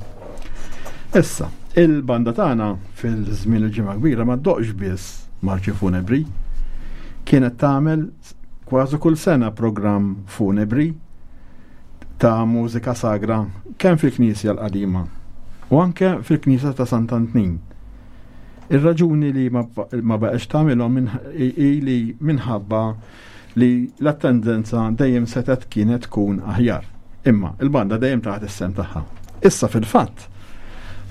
Issa, il-banda tagħna fil-żmien il-ġimgħa kbira ma ddoqx biss marċi funebri. Kienet tagħmel kważi kull sena programm funebri ta' mużika sagra kemm fil-Knisja l-qadima u anke fil-Knisja ta' Sant'Antnin. Ir-raġuni li ma baqgħetx tagħmilhom hi li minħabba li l-attendenza dejjem setgħet kienet tkun aħjar. Imma il-banda dejjem taħt is-sem tagħha. Issa fil-fatt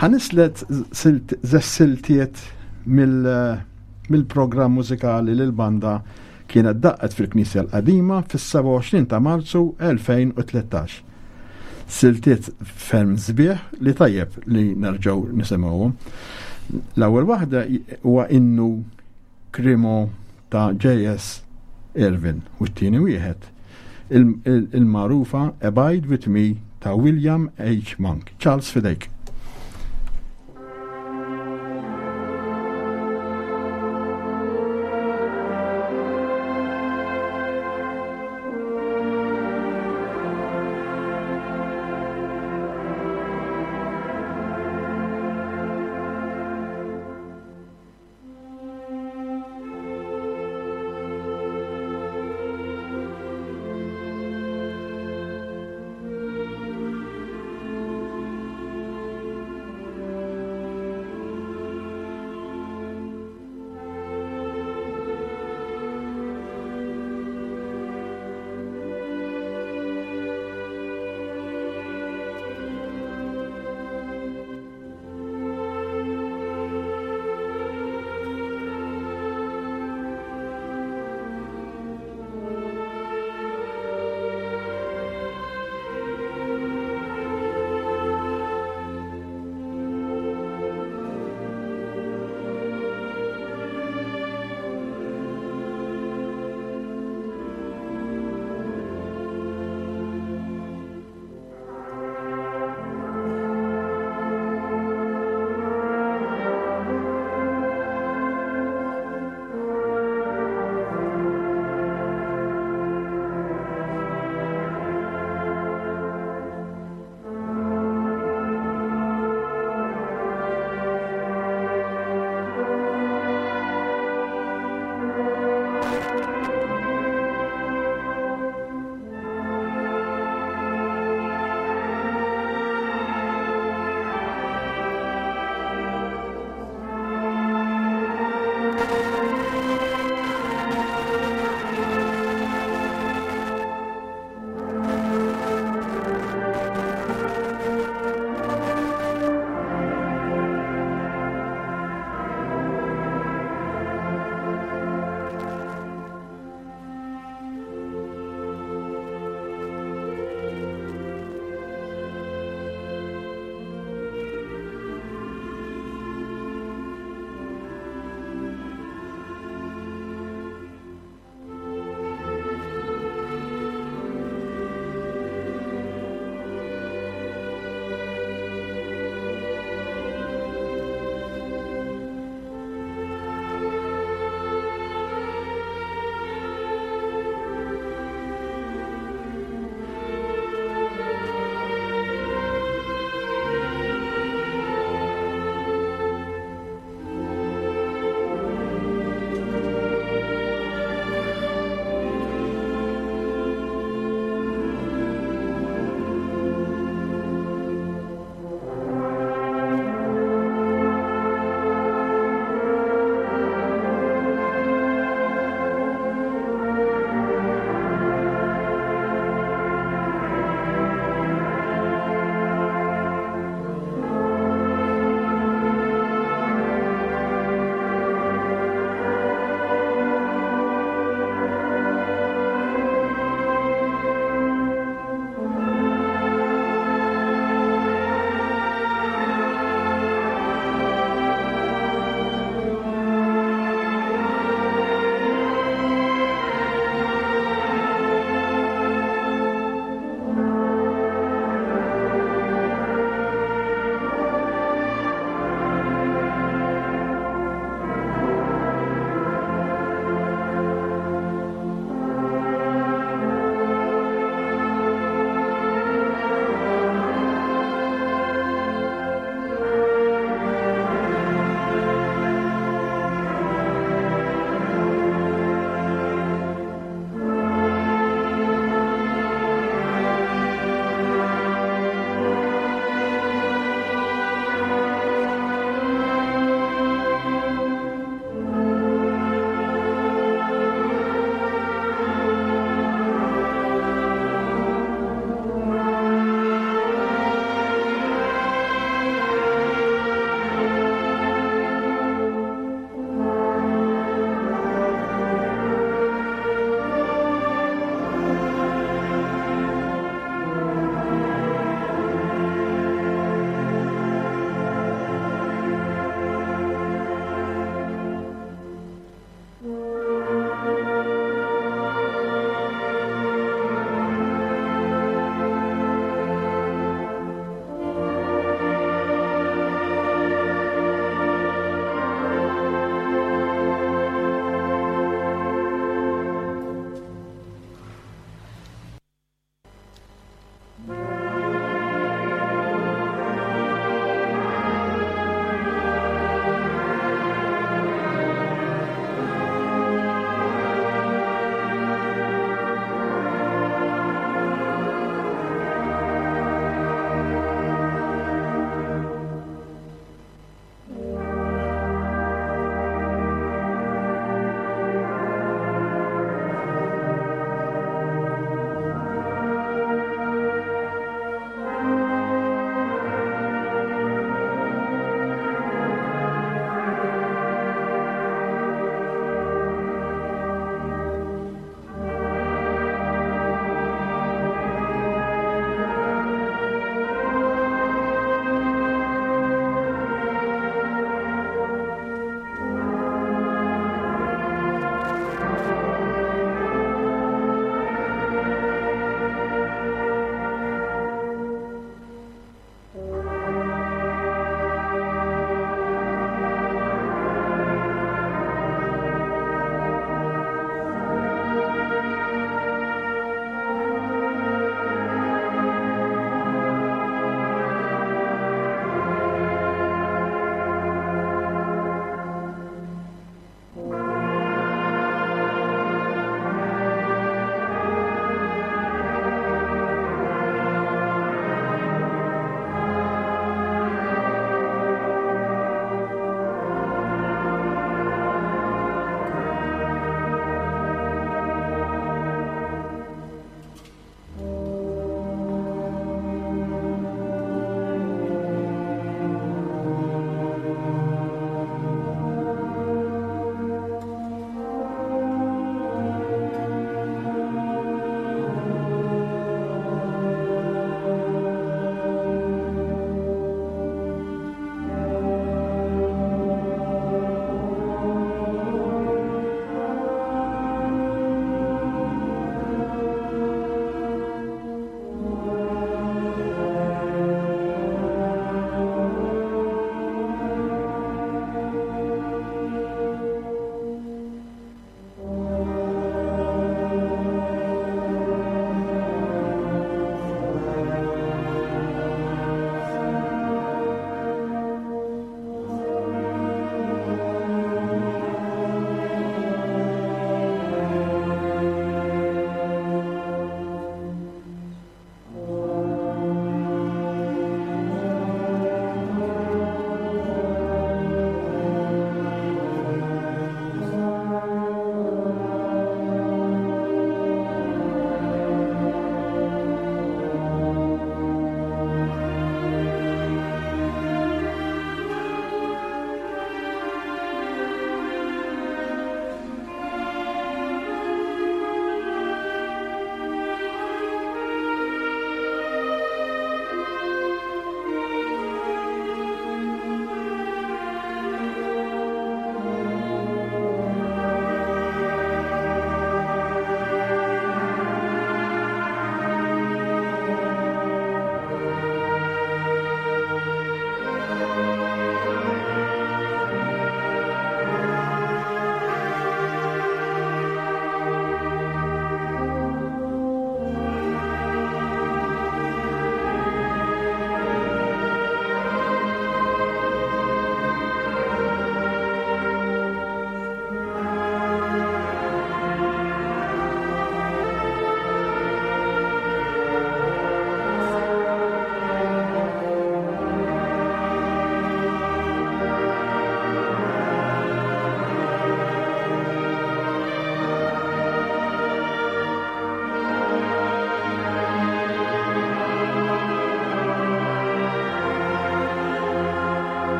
ħanislet siltiet mill-programm mużikali li l-banda kienet daqqet fil-Knisja l-Qadima fis-sebgħa u għoxrin ta' Marzu elfejn u tlettax. Siltiet ferm sbieħ li tajjeb li nerġgħu nisimgħuhom. L-ewwel waħda huwa innu Krimo ta' J S Irvin u t-tieni wieħed il-magħrufa Abide With Me ta' William H. Monk. Charles, fidejk. Thank you.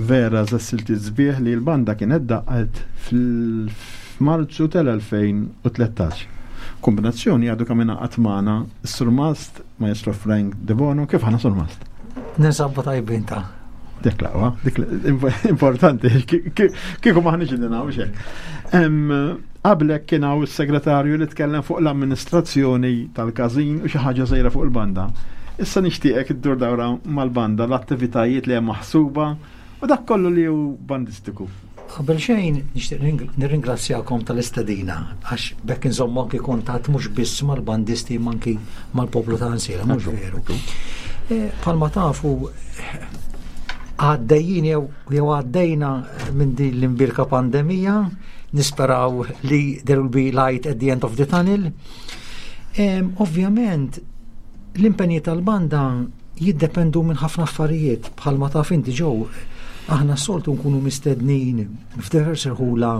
Vera żessilti sbieħ li l-banda kienet daqqet fil-Marzu tal-elfejn u tlettax. Kombinazzjoni għadu kemm ingħaqad magħna s-Surmast Maestro Frank Debono. Kif aħna, Surmast? Ninsabu tajbin ta' Dik l-aqwa, dik importanti, kieku maħniġ li naw xek. Qablek kien hawn is-segretarju li tkellem fuq l-amministrazzjoni tal-każin u xi ħaġa żgħira fuq il-banda. Issa nixtieqek iddur dawra mal-banda, l-attivitajiet li hemm maħsuba u dak kollu li hu bandistiku. Qabel xejn nixtieq nirringrazzjakom tal-istedina għax bekk inżommu anki kuntatt mhux biss mal-bandisti imma anki mal-poplu ta' Għajnsielem, mhux veru. Bħalma tafu għaddejjin jew, jew għaddejna minn din l-imbirka pandemija, nisperaw li there will be light at the end of the tunnel. Em, ovvjament, l-impenji tal-banda jiddependu minn ħafna affarijiet, bħalma taf inti ġew, aħna s-soltu nkunu mistednin f'diversi rħula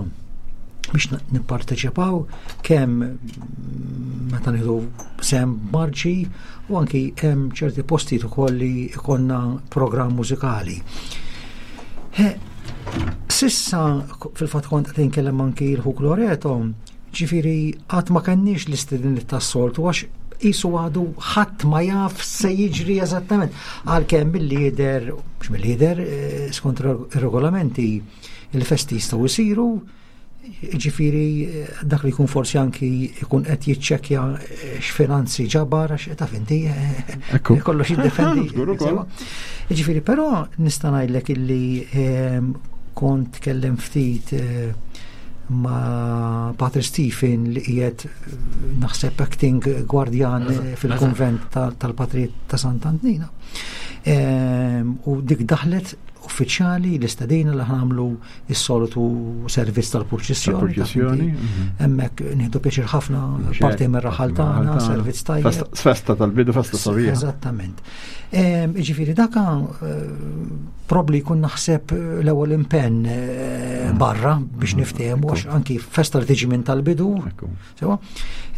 biex n-, nipparteċipaw kemm meta nieħdu sem marċi u anki hemm ċerti postijiet ukoll li jkollna programm mużikali. He, sissa fil-fatt kont qed inkellem anki l-ħuk Loreto, ġifieri qatt ma kenniex l-istediniet tas-soltu għax qisu għadu ħadd ma jaf se jiġri eżattament. Għalkemm mill-lider, mhux mill-lider, eh, skont ir-regolamenti il-festi jistgħu jsiru, ġifieri, eh, dak li jkun forsi anki jkun qed jiċċekkja, eh, x'finanzi ġabar, għax taf inti, eh, Ekku. kollox jiddependi. Żgur ukoll. Ġifieri, però nista' ngħidlek illi, ehm, kont tkellem ftit, eh, ma' Patri Stephen li qiegħed naħseb acting gwardjan Eżatt, fil-konvent eżatt. ta-, tal-Patri ta' Sant'Antnina. Ehm, u dik daħlet uffiċjali l-istedina li ħamlu s-soltu servizz tal-purċissjoni. Tal-purċissjoni, ta' mhm. Hemmhekk nieħdu pjaċir ħafna Mhux parti hekk, mir-raħal parti tagħna, mir-raħal tagħna. servizz tajjeb. Festa, festa tal-bidu, festa sabiħa. Eżattament. Ehm, jiġifieri daka, eh, probabli jkun naħseb l-ewwel impenn, eh, barra biex Mm. niftehmu, għax Ekku. anki festa li tiġi minn tal-bidu. Ekku. Sewa?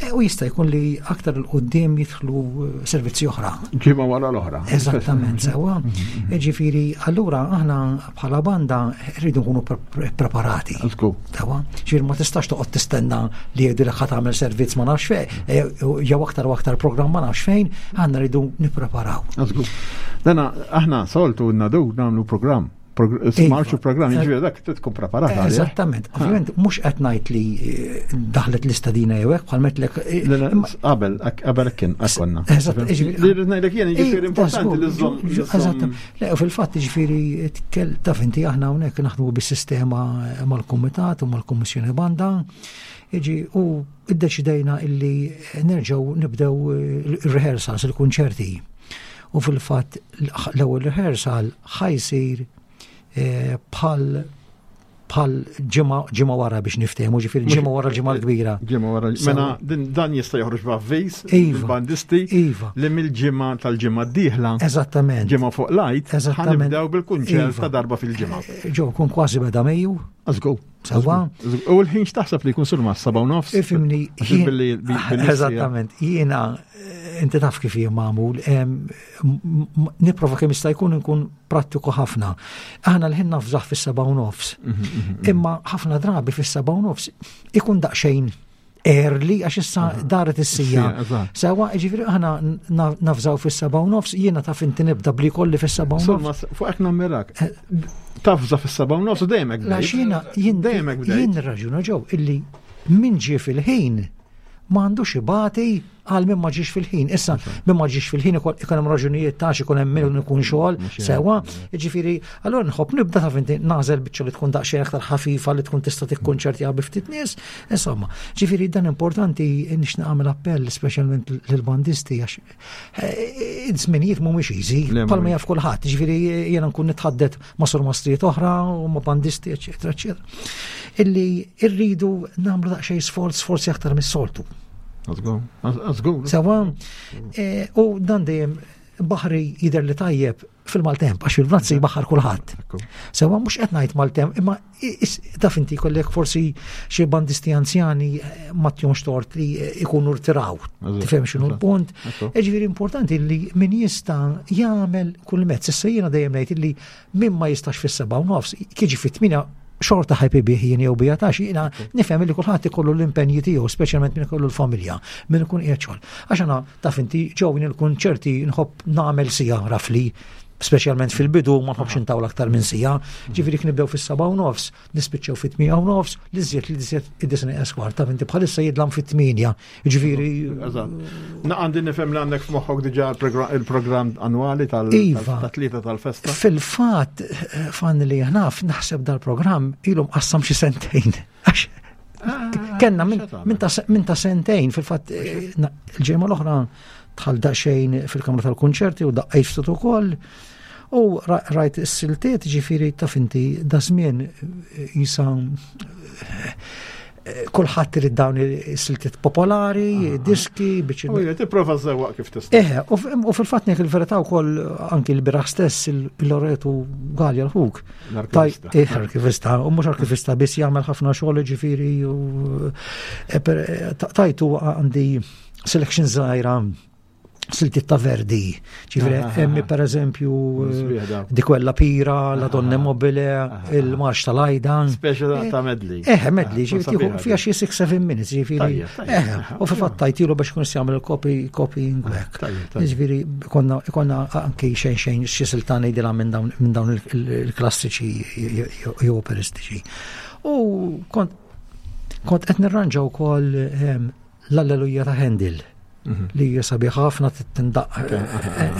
E, u jista' jkun li aktar 'il quddiem jidħlu, eh, servizzi oħra. Ġimgħa wara l-oħra. Eżattament, sewa. Mhm. Ġifieri, allura aħna bħala banda rridu nkunu pre-, pre-, preparati. Żgur. Sewa? Ġifieri ma tistax toqgħod tistenna li jgħidulek ħa tagħmel servizz ma nafx fejn, e, jew aktar u aktar programm ma nafx fejn, aħna rridu nippreparaw. Żgur. Dana aħna soltu nadu nagħmlu programm. Progr-, Iva. Marxu programm, jiġifieri dak trid tkun preparat għalih. Eżattament. Ovvjament mhux qed ngħid li, eh, daħlet l-istadina jew hekk, bħal metlek, eh, Le, le, imma qabel, ak-, qabel kien, konna. Eżatt, jiġifieri Li rrid ngħidlek jien, jiġifieri Eh, importanti li żgur, żżomm, ġu-, li żżomm eżatt. Le, u fil-fatt jiġifieri tkel-, taf inti aħna hawnhekk naħdmu bis-sistema mal-kumitat u mal-kummissjoni banda. Iġi, u iddeċidejna illi nerġgħu nibdew, eh, il-rehearsals, il-kunċerti. U fil-fatt l-ewwel rehearsal ħajsir, eh, bħal, bħal ġimgħa, ġimgħa wara biex niftehmu, ġifieri Mhux ġimgħa wara l-ġimgħa l-kbira. Ġimgħa wara l-, Sewa. mela din, dan jista' joħroġ b'avviż Iva. il-bandisti Iva. li mill-ġimgħa tal-ġimgħa d-dieħla. Eżattament. Ġimgħa fuq l-Għid, Eżattament. ħanibdew bil-kunċert Iva. ta' darba fil-ġimgħa. Ġew kun kważi beda Mejju. Żgur. Sewa. Żgur. U l-ħin x'taħseb li jkun sur ma' seba' u nofs? Ifimni, Għax jien- billi- billi billi Eżattament. Jiena, eh, inti taf kif jien magħmul, em, m-, m-, nipprova kemm jista' jkun nkun prattiku ħafna. Aħna l-ħin nafżaħ fis-seba' u nofs. Mhm, mhm, mhm. Imma ħafna drabi fis-seba' u nofs ikun daqsxejn early għax issa Aha. daret is-sija. Sija, eżatt. Sewa, ġifieri aħna na-, nafżaw fis-seba' u nofs, jiena taf inti nibda bli kolli fis-seba' u nofs. Insomma, fuq hekk nammirak. Tafża fis-seba' u nofs u dejjem hekk La bdejt. xina, jien Dejjem hekk bdejt. jien raġuna ġew illi min ġie fil-ħin ma għandux ibati għal min ma ġiex fil-ħin. Issa, min ma ġiex fil-ħin ikun, ikun hemm raġunijiet ta' xi ikun hemm min ikun xogħol, Mhux hekk. sewa. Jiġifieri, allura nħobb nibda taf inti nagħżel biċċa li tkun daqsxejn aktar ħafifa li tkun tista' tikkonċertja bi ftit nies. Insomma, ġifieri dan importanti nix nagħmel appell speċjalment lill-bandisti għax, eh, iż-żminijiet mhumiex easy, Le, bħalma mhumiex. jaf kulħadd. Ġifieri jiena nkun nitħaddet ma' surmastrijiet oħra u ma' bandisti, eċetera, eċetera. Illi rridu nagħmlu daqsxejn sforz, forsi aktar mis-soltu. Żgur, żgur. Sewa, eh, u dan dejjem Baħri jidher li tajjeb fil-maltemp, għax fil-bnazzi baħar kulħadd. Sewa mhux qed ngħid maltemp, imma taf inti kollek forsi xi bandisti anzjani eh, ma tjomx tort li eh, ikunu rtiraw. Tifhem x'inhu l-punt. Ġifieri importanti li min jista' jagħmel kull mezz. Issa jiena dejjem ngħid li min ma jistax fis-seba' u nofs, kiġi fit-tmienja xorta ħajpi bih jien jew bija tax, jiena nifhem li kulħadd ikollu l-impenji tiegħu, speċjalment min ikollu l-familja, min ikun qiegħed xogħol. Għax ana taf inti ġew il-kunċerti nħobb nagħmel sija rafli, speċjalment fil-bidu ma nħobbx intawla aktar minn sija. Ġifieri nibdew fis-seba' u nofs, nispiċċew fit-tmija u nofs, li żjed li żjed id-disni eskwar, taf inti bħalissa jidlam fit-tminja. Ġifieri. Na għandi nifhem li għandek f'moħħok diġà il-programm annwali tal-tlieta tal-festa. Fil-fatt, fan li naf, naħseb dal-programm ilhom qassam xi sentejn. Għax kenna minn ta' sentejn, fil-fatt il-ġimgħa l-oħra dħal daqsxejn fil-kamra tal-kunċerti u daqqejt ftit ukoll. U rajt is-siltiet, ġifieri taf inti da żmien jisa kulħadd irid dawn is-siltiet popolari, diski biex. U tipprova żewwaq kif tista'. Eh, u fil-fatt ngħid il-verità wkoll anki l-biraħ stess il-Loretu Galja l-ħuk. Eh, arkivista, u mhux arkivista biss jagħmel ħafna xogħol ġifieri u tajtu għandi selection żgħira siltiet ta' Verdi. Ġifieri hemm per eżempju di quella pira, la donna mobile, il-marx tal-Ajda. Speċi ta' medley. Eh, medley, ġifieri fiha xi six seven minutes, ġifieri. Eh, u fil-fatt tajtilu biex kun jagħmel il-copy copying back. Ġifieri konna konna anke xejn xejn xi silta ngħidilha minn dawn minn dawn il-klassiċi jew operistiċi. U kont kont qed nirranġa wkoll l-Alleluja ta' Handel. Li hija sabiħ ħafna tindaq.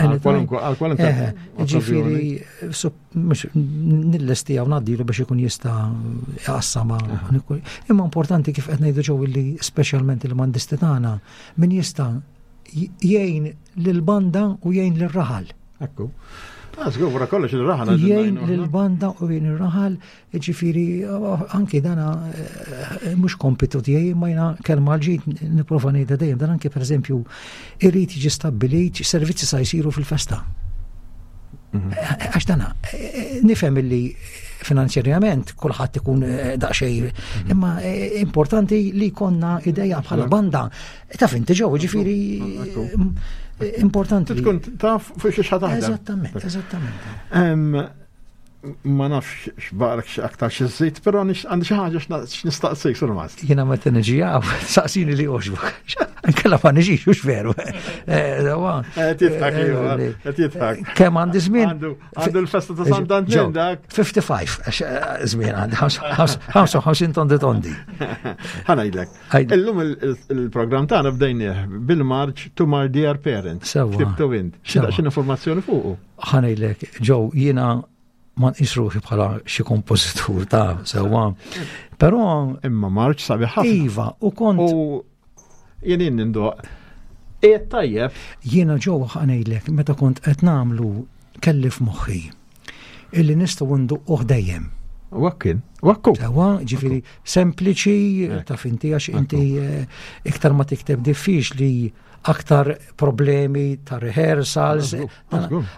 Għal kwalunkwe. Ġifieri nillesti għaw ngħaddilu biex ikun jista' jqassama. Imma importanti kif qed ngħidu ġew li speċjalment il-bandisti tagħna min jista' jgħin lill-banda u jgħin lir-raħal. Ekku. Żgur, wara kollox il-raħal. Jgħin lill-banda u jgħin ir-raħal, ġifieri anki dana mhux kompitu tiegħi, imma jiena kelma l-ġid nipprova ngħidha dejjem, dan anki pereżempju irid jiġi stabbilit servizzi sa jsiru fil-festa. Għax dana nifhem illi finanzjarjament kulħadd ikun daqsxejn, imma importanti li jkollna idea bħala banda. Taf inti ġew, ġifieri importanti. Tkun taf fuq xi taħdem. Eżattament, eżattament. Ma nafx x'barek aktar xi żejt, però għandi xi ħaġa x'nistaqsik sur Mast. Jiena meta niġi hawn, saqsini li għoġbok. Ankella ma niġix, hux veru. Qed jidħak, qed jidħak. Kemm għandi żmien? Għandu l-festa ta' Sant Antin dak. fifty-five, għax żmien għandi ħamsa u ħamsin tondi tondi. Ħa ngħidlek. Illum il-programm tagħna bdejnieh bil-marċ To My Dear Parents. Ktibtu int. Xi informazzjoni fuqu? Ħa ngħidlek, Ġew, jiena ma nqis ruħi bħala xi kompożitur ta' sewwa. Però imma marċ sabiħ ħafna. Iva, u kont U jien jien nindoq. Qiegħed tajjeb. Jiena ġew ħa ngħidlek, meta kont qed nagħmlu kelli f'moħħi illi nistgħu nduqquh dejjem. U hekk kien, u hekk hu. Sewwa, ġifieri sempliċi, taf inti għax inti iktar ma tikteb diffiċli aktar problemi ta' rehearsals.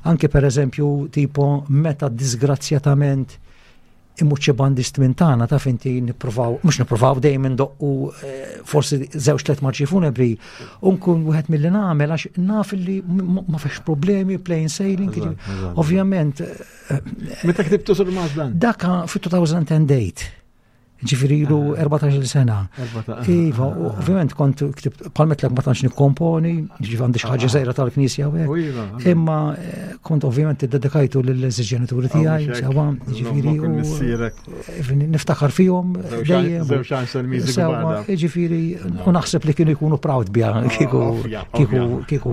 Anke per eżempju, tipo meta disgrazzjatament imut xi bandist minn tagħna, taf inti nippruvaw, mhux nippruvaw dejjem indoqqu forsi żewġ tliet marċi funebri, u nkun wieħed milli nagħmel għax naf li ma fiex problemi, plain sailing, ovvjament. Meta ktibtu sur Mast dan? Daka fi two thousand and eight. Ġifieri ilu erbatax-il sena. Iva, ovvjament kont ktibt, palmetlek ma tantx nikkomponi, ġifieri għandi xi ħaġa żgħira tal-knisja u hekk. Imma kont ovvjament iddedikajtu lill-ġenituri tiegħi, sewwa, ġifieri u niftakar fihom dejjem. Żewġ għaxar miżi Sewwa, ġifieri u naħseb li kienu jkunu proud biha kieku kieku kieku.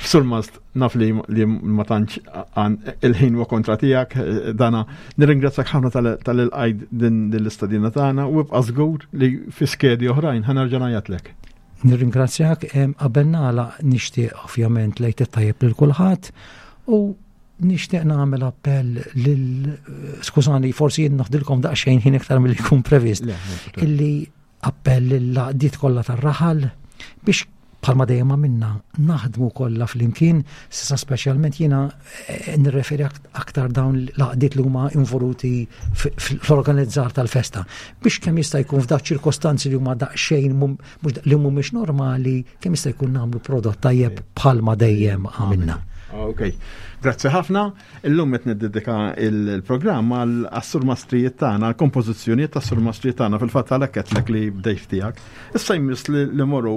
Sur Mast, naf li, li ma tantx għan il-ħin huwa kontra tiegħek, dana nirringrazzjak ħafna tal-ilqajd din l-istadina tagħna u ibqa' żgur li fi skedi oħrajn ħa nerġa' ngħajjatlek. Nirringrazzjak, qabel nagħlaq nixtieq ovvjament lejt it-tajjeb lil kulħadd u nixtieq nagħmel appell lil, skużani, forsi jien noħdilkom daqsxejn ħin iktar milli jkun previst, Le, le, le. illi appell lill-għaqdiet kollha tar-raħal biex Bħalma dejjem għamilna naħdmu kollha flimkien, s'issa speċjalment jiena eh, nirreferi aktar dawn l-għaqdiet li huma involuti fl-organizzar tal-festa biex kemm jista' jkun f'dak ċirkostanzi li huma daqsxejn li mhumiex normali, kemm jista' jkun nagħmlu prodott tajjeb bħalma dejjem għamilna. Ok, grazzi ħafna. Illum qed niddedika il-programm għas-surmastrijiet tagħna, għall-kompożizzjonijiet tas-surmastrijiet tagħna fil-fatt għalhekk qedlek li bdejt tiegħek. Issa jmiss li morru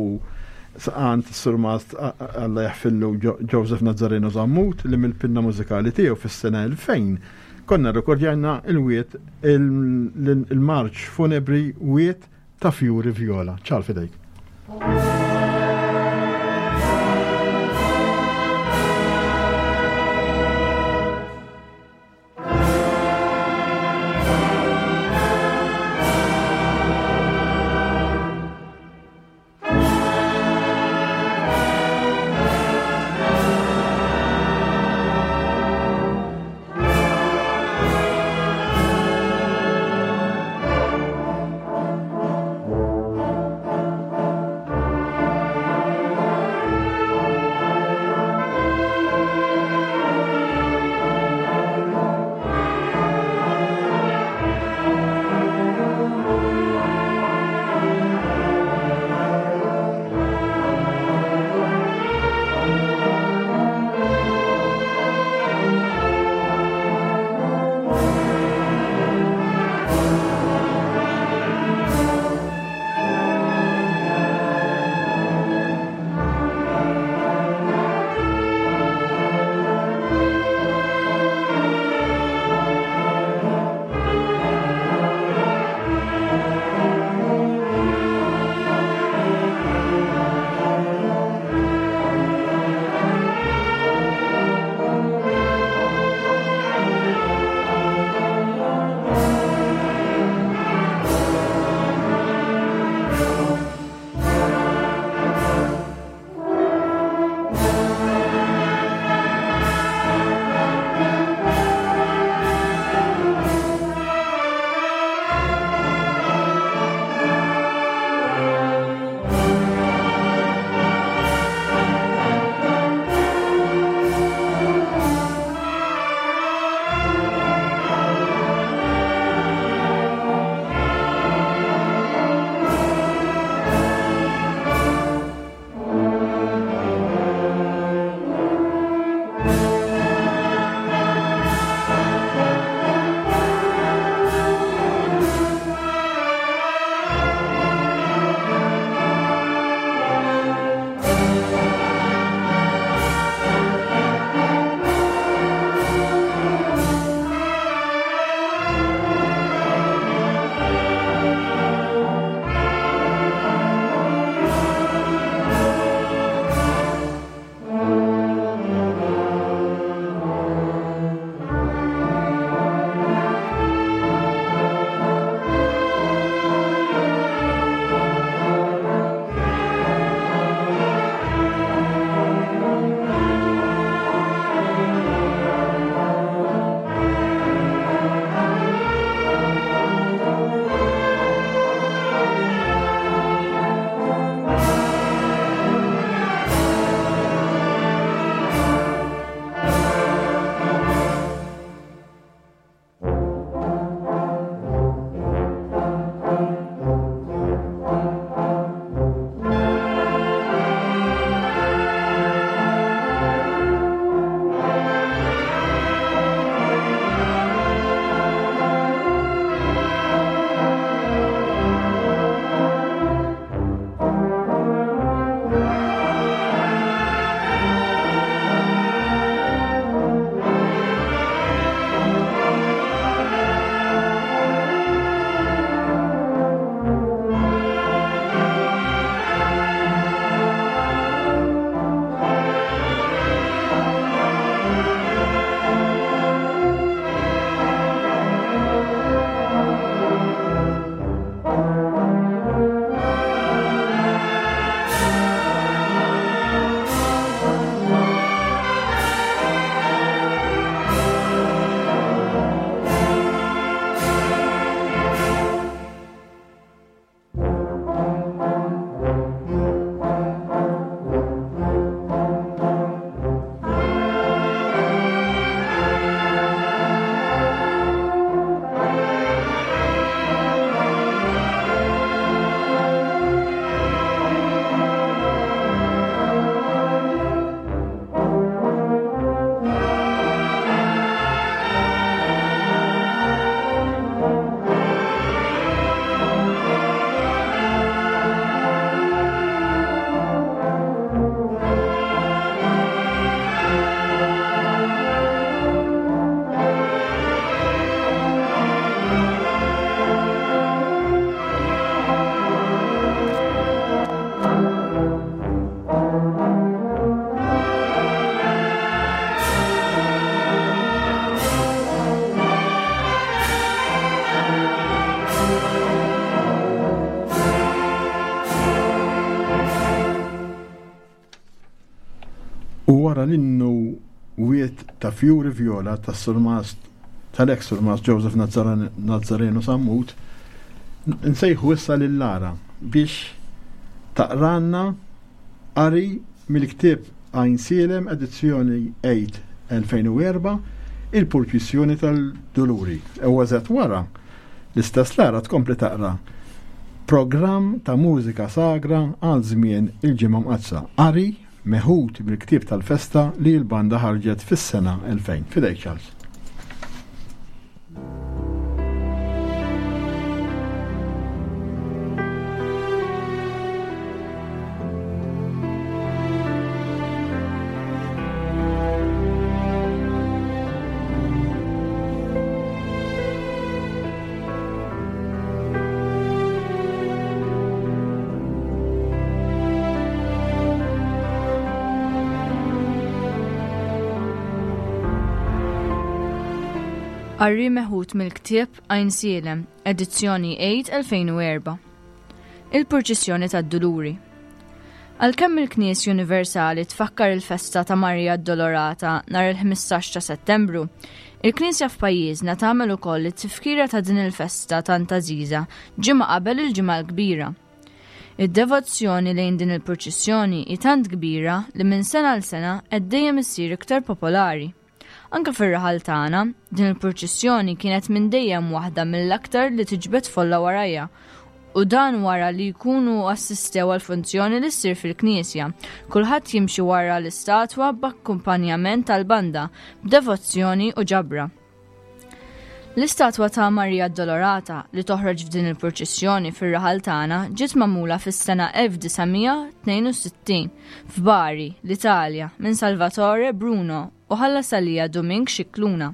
għand is-surmast Alla jaħfillu Joseph Nazzareno Zammut li mill-pinna mużikali tiegħu fis-sena elfejn konna rrekordjajna il-wiet il-marċ funebri Wiet ta' Fjuri Vjola. Ċal fidejk. U wara l-innu Wied ta' Fjuri Vjola tas-Surmast tal-ex Surmast Joseph Nazzareno Sammut, nsejħu issa lil Lara biex taqranna qari mill-ktieb Għajnsielem edizzjoni Għid elfejn u erbgħa, il-purċissjoni tal-Duluri. U eżatt wara, l-istess Lara tkompli taqra programm ta' mużika sagra għal żmien il-Ġimgħa Mqaddsa. Qari meħud mill-ktieb tal-festa li l-banda ħarġet fis-sena elfejn. Fidejk, Charles. Qari meħud mill-ktieb Għajnsielem, edizzjoni Għid elfejn u erbgħa. Il-Purċissjoni tad-Duluri. Għalkemm il-Knisja Universali tfakkar il-festa ta' Marija Addolorata nhar il-ħmistax ta' Settembru, il-Knisja f'pajjiżna tagħmel ukoll it-tifkira ta' din il-festa tant għażiża ġimgħa qabel il-Ġimgħa l-Kbira. Id-devozzjoni lejn din il-purċissjoni hi tant kbira li minn sena għal sena qed dejjem issir iktar popolari. Anke fir-raħal tagħna, din il-purċissjoni kienet minn dejjem waħda mill-aktar li tiġbed folla warajja, u dan wara li jkunu assistew għal funzjoni li ssir fil-knisja. Kulħadd jimxi wara l-istatwa b'akkumpanjament tal-banda, b'devozzjoni u ġabra. L-istatwa ta' Marija Addolorata li toħroġ f'din il-purċissjoni fir-raħal tagħna ġiet magħmula fis-sena elf disa' mija tnejn u sittin f'Bari, l-Italja, minn Salvatore Bruno u ħallas għalija Domink Scicluna.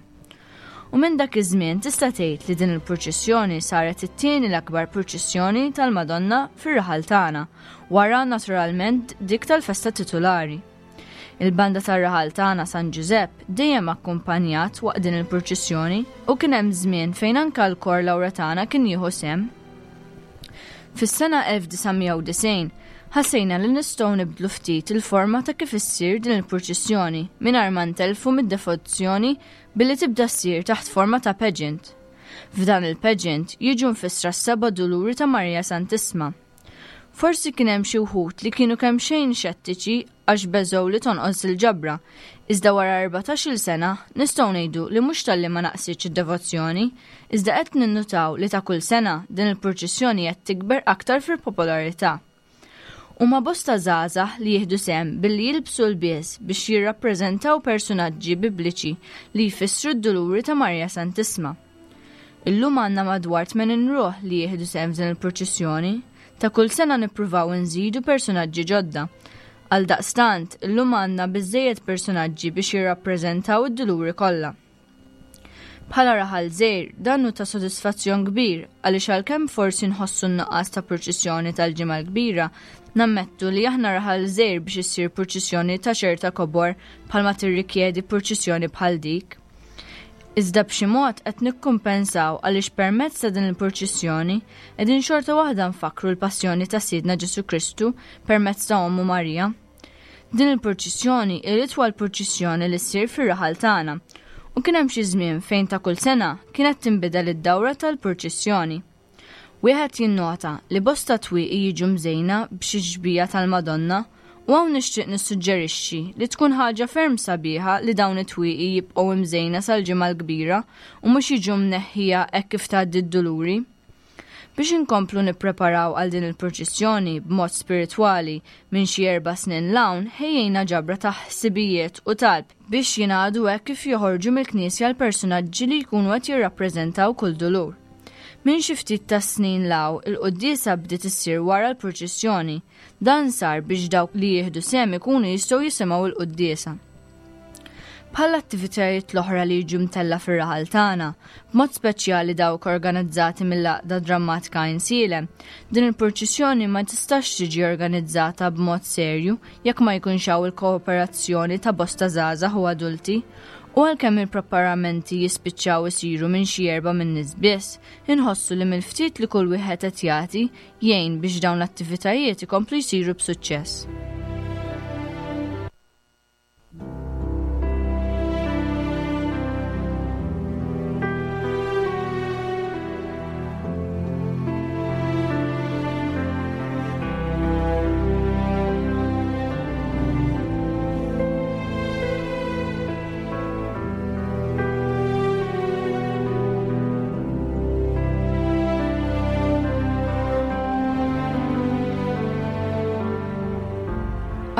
U minn dak iż-żmien tista' tgħid li din il-purċissjoni saret it-tieni l-akbar purċissjoni tal-Madonna fir-raħal tagħna, wara naturalment dik tal-festa titulari. Il-banda tar-raħal tagħna San Ġużepp dejjem akkumpanjat waqt din il-purċissjoni u kien hemm żmien fejn anke l-kor Lawretana kien jieħu sehem. Fis-sena elf disa' mija u disgħin ħassejna li nistgħu nibdlu ftit il-forma ta' kif issir din il-purċissjoni mingħajr ma ntelfu mid-devozzjoni billi tibda ssir taħt forma ta' pageant. F'dan il-pageant jiġu nfissra s-seba' duluri ta' Marija Santissma. Forsi kien hemm xi wħud li kienu kemm xejn xettiċi għax beżgħu li tonqos il-ġabra, iżda wara erbatax-il sena nistgħu ngħidu li mhux talli ma naqsitx id-devozzjoni, iżda qed ninnutaw li ta' kull sena din il-purċissjoni qed tikber aktar fil-popolarità. Huma bosta żgħażagħ li jieħdu sehem billi jilbsu l-bies biex jirrappreżentaw personaġġi bibliċi li jfissru d-duluri ta' Marija Santissma. Illum għandna madwar tmenin ruħ li jieħdu sehem f'din il-purċissjoni. Ta' kull sena nippruvaw nżidu personaġġi ġodda. Għal daqstant, illum għandna biżżejjed personaġġi biex jirrappreżentaw id-duluri kollha. Bħala raħal żgħir, dan hu ta' sodisfazzjon kbir għaliex għalkemm forsi nħossu n-nuqqas ta' purċissjoni tal-Ġimgħa l-Kbira, nammettu li aħna raħal żgħir biex issir purċissjoni ta' ċerta kobor bħalma tirrikjedi purċissjoni bħal dik. Iżda b'xi mod qed nikkumpensaw għaliex permezz ta' din il-purċissjoni qegħdin xorta waħda nfakkru l-passjoni ta' Sidna Ġesu Kristu permezz ta' Ommu Marija. Din il-purċissjoni hi l-itwal purċissjoni li ssir fir-raħal tagħna u kien hemm xi żmien fejn ta' kull sena kienet tinbidel id-dawra tal-purċissjoni. Wieħed jinnota li bosta twieqi jiġu mżejna b'xi xbija tal-Madonna u hawn nixtieq nissuġġerixxi li tkun ħaġa ferm sabiħa li dawn it-twieqi jibqgħu imżejna sal-Ġimgħa l-Kbira u mhux jiġu mneħħija hekk kif tgħaddi d-duluri. Biex inkomplu nippreparaw għal din il-purċissjoni b'mod spiritwali minn xi erba' snin l-hawn ħejjejna ġabra ta' ħsibijiet u talb biex jingħadu hekk kif joħorġu mill-knisja l-personaġġi li jkunu qed jirrappreżentaw kull dulur. Minn xi ftit ta' snin law, il-quddiesa bdiet issir wara l-purċissjoni. Dan sar biex dawk li jieħdu sehem ikunu jistgħu jisimgħu l-quddiesa. Bħal attivitajiet l-oħra li jiġu mtella fir-raħal tagħna, b'mod speċjali dawk organizzati mill-Għaqda Drammatika Għajnsielem, din il-purċissjoni ma tistax tiġi organizzata b'mod serju jekk ma jkunx hawn il-kooperazzjoni ta' bosta żgħażagħ u adulti. U għalkemm il-preparamenti jispiċċaw isiru minn xi erba' minn nies biss, inħossu li mill-ftit li kull wieħed qed jagħti jgħin biex dawn l-attivitajiet ikomplu jsiru b'suċċess.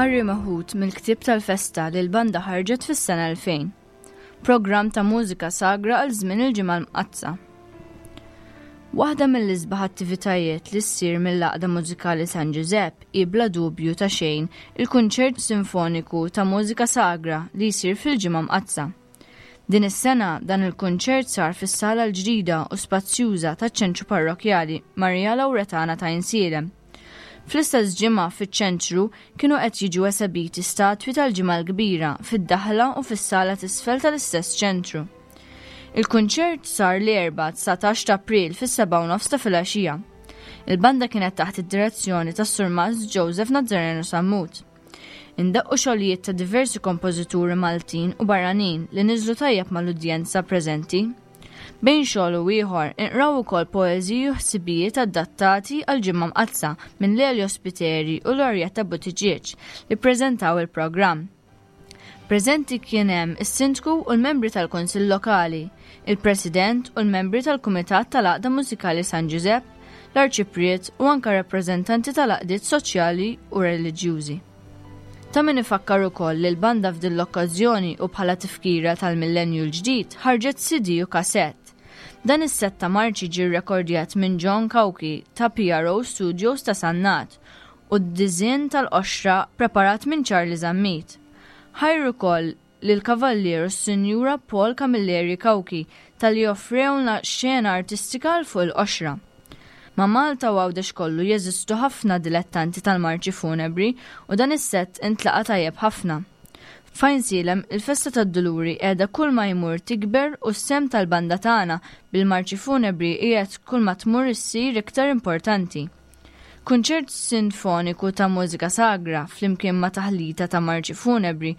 Qari meħud mill-ktieb tal-festa li l-banda ħarġet fis-sena elfejn. Programm ta' mużika sagra għal żmien il-Ġimgħa l-Mqaddsa. Waħda mill-isbaħ attivitajiet li ssir mill-Għaqda Mużikali San Ġużepp hi bla dubju ta' xejn il-kunċert sinfoniku ta' mużika sagra li jsir fil-Ġimgħa Mqaddsa. Din is-sena dan il-kunċert sar fis-sala l-ġdida u spazjuża taċ-Ċentru Parrokkjali Maria Lawretana ta' Għajnsielem. Fl-istess ġimgħa fiċ-ċentru kienu qed jiġu esebiti statwi tal-Ġimgħa l-Kbira fid-daħla u fis-sala t'isfel tal-istess ċentru. Il-kunċert sar l-Erbgħa dsatax ta' April fis-sebgħa u nofs ta' filgħaxija. Il-banda kienet taħt id-direzzjoni tas-Surmast Joseph Nazzareno Sammut. Indaqqu xogħlijiet ta' diversi kompożituri Maltin u barranin li niżlu tajjeb mal-udjenza preżenti. Bejn xogħol u ieħor inqraw ukoll poeżiji u ħsibijiet adattati għal Ġimgħa Mqaddsa minn Lelio Spiteri u Loretta Buttigieg li ppreżentaw il-programm. Preżenti kien hemm is-Sindku u l-membri tal-Kunsill Lokali, il-President u l-membri tal-Kumitat tal-Għaqda Mużikali San Ġużepp, l-Arċipriet u anke rappreżentanti tal-għaqdiet soċjali u reliġjużi. Ta' min ifakkar ukoll li l-banda f'din l-okkażjoni u bħala tifkira tal-millenju l-ġdid ħarġet C D u kasett. Dan is-set ta' marċi ġie rrekordjat minn John Cauchi ta' P R O Studios ta' Sannat u d-diżinn tal-qoxra preparat minn Charlie Zammit. Ħajr ukoll lil kavallier u s-Sinjura Paul Camilleri Cauchi tal-li offrewna xena artistika għal fuq il-qoxra. Ma' Malta u Għawdex kollu jeżistu ħafna dilettanti tal-marċi funebri u dan is-set intlaqa' tajjeb ħafna. F'Għajnsielem, il-festa tad-Duluri qiegħda kull ma jmur tikber u s-sem tal-banda tagħna bil-marċi funebri qiegħed kull ma tmur issir iktar importanti. Kunċert sinfoniku ta' mużika sagra flimkien ma' taħlita ta' marċi funebri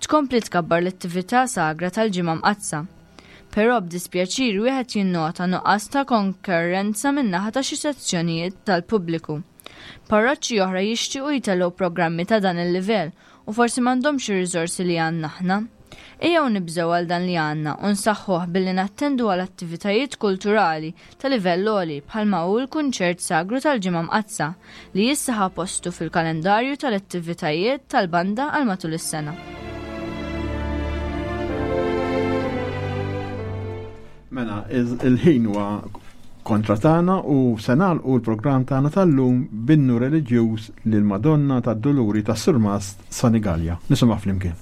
tkompli tkabbar l-attività sagra tal-Ġimgħa Mqaddsa. Però b'dispjaċir wieħed jinnota nuqqas ta' konkurrenza min-naħa ta' xi sezzjonijiet tal-pubbliku. Parroċċi oħra jixtiequ jtellgħu programmi ta' dan il-livell u forsi m'għandhomx ir-riżorsi li għandna aħna. Ejjew nibżgħu għal dan li għandna u nsaħħuh billi nattendu għal attivitajiet kulturali ta' livell għoli bħalma hu l-kunċert sagru tal-Ġimgħa Mqaddsa li issa ħa postu fil-kalendarju tal-attivitajiet tal-banda għal matul is-sena. Mela, il-ħin huwa kontra tagħna u se nagħlqu l-programm tagħna tal-lum b'innu reliġjuż lil Madonna tad-Duluri tas-Surmast Sanigallia. Nisimgħu flimkien.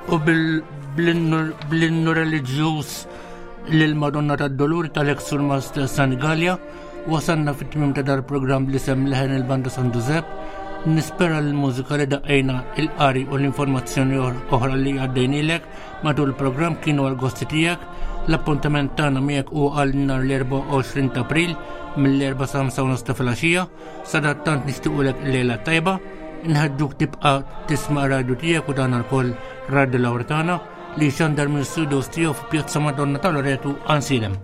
U bl-innu reliġjuż lil Madonna tad-Duluri tal-ex Surmast Sanigallia wasalna fit-tmiem ta' dal-programm li sem leħen il-Banda San Giuseppe. Nispera l-mużika li daqqejna, il-qari u l-informazzjoni oħra li għaddejnilek matul il-programm kienu għal-gosti tiegħek. L-appuntament tagħna miegħek hu għal nhar l-erbgħa u għoxrin ta' April mill-erbgħa sa ħamsa u nofs ta' filgħaxija. Sadattant nixtiequlek lejla tajba, nħeġġuk tibqa' tisma' radio tiegħek u dan ukoll Radio Lawretana li xandar minn studios tiegħu fi Pjazza Madonna ta' Loreto Għajnsielem.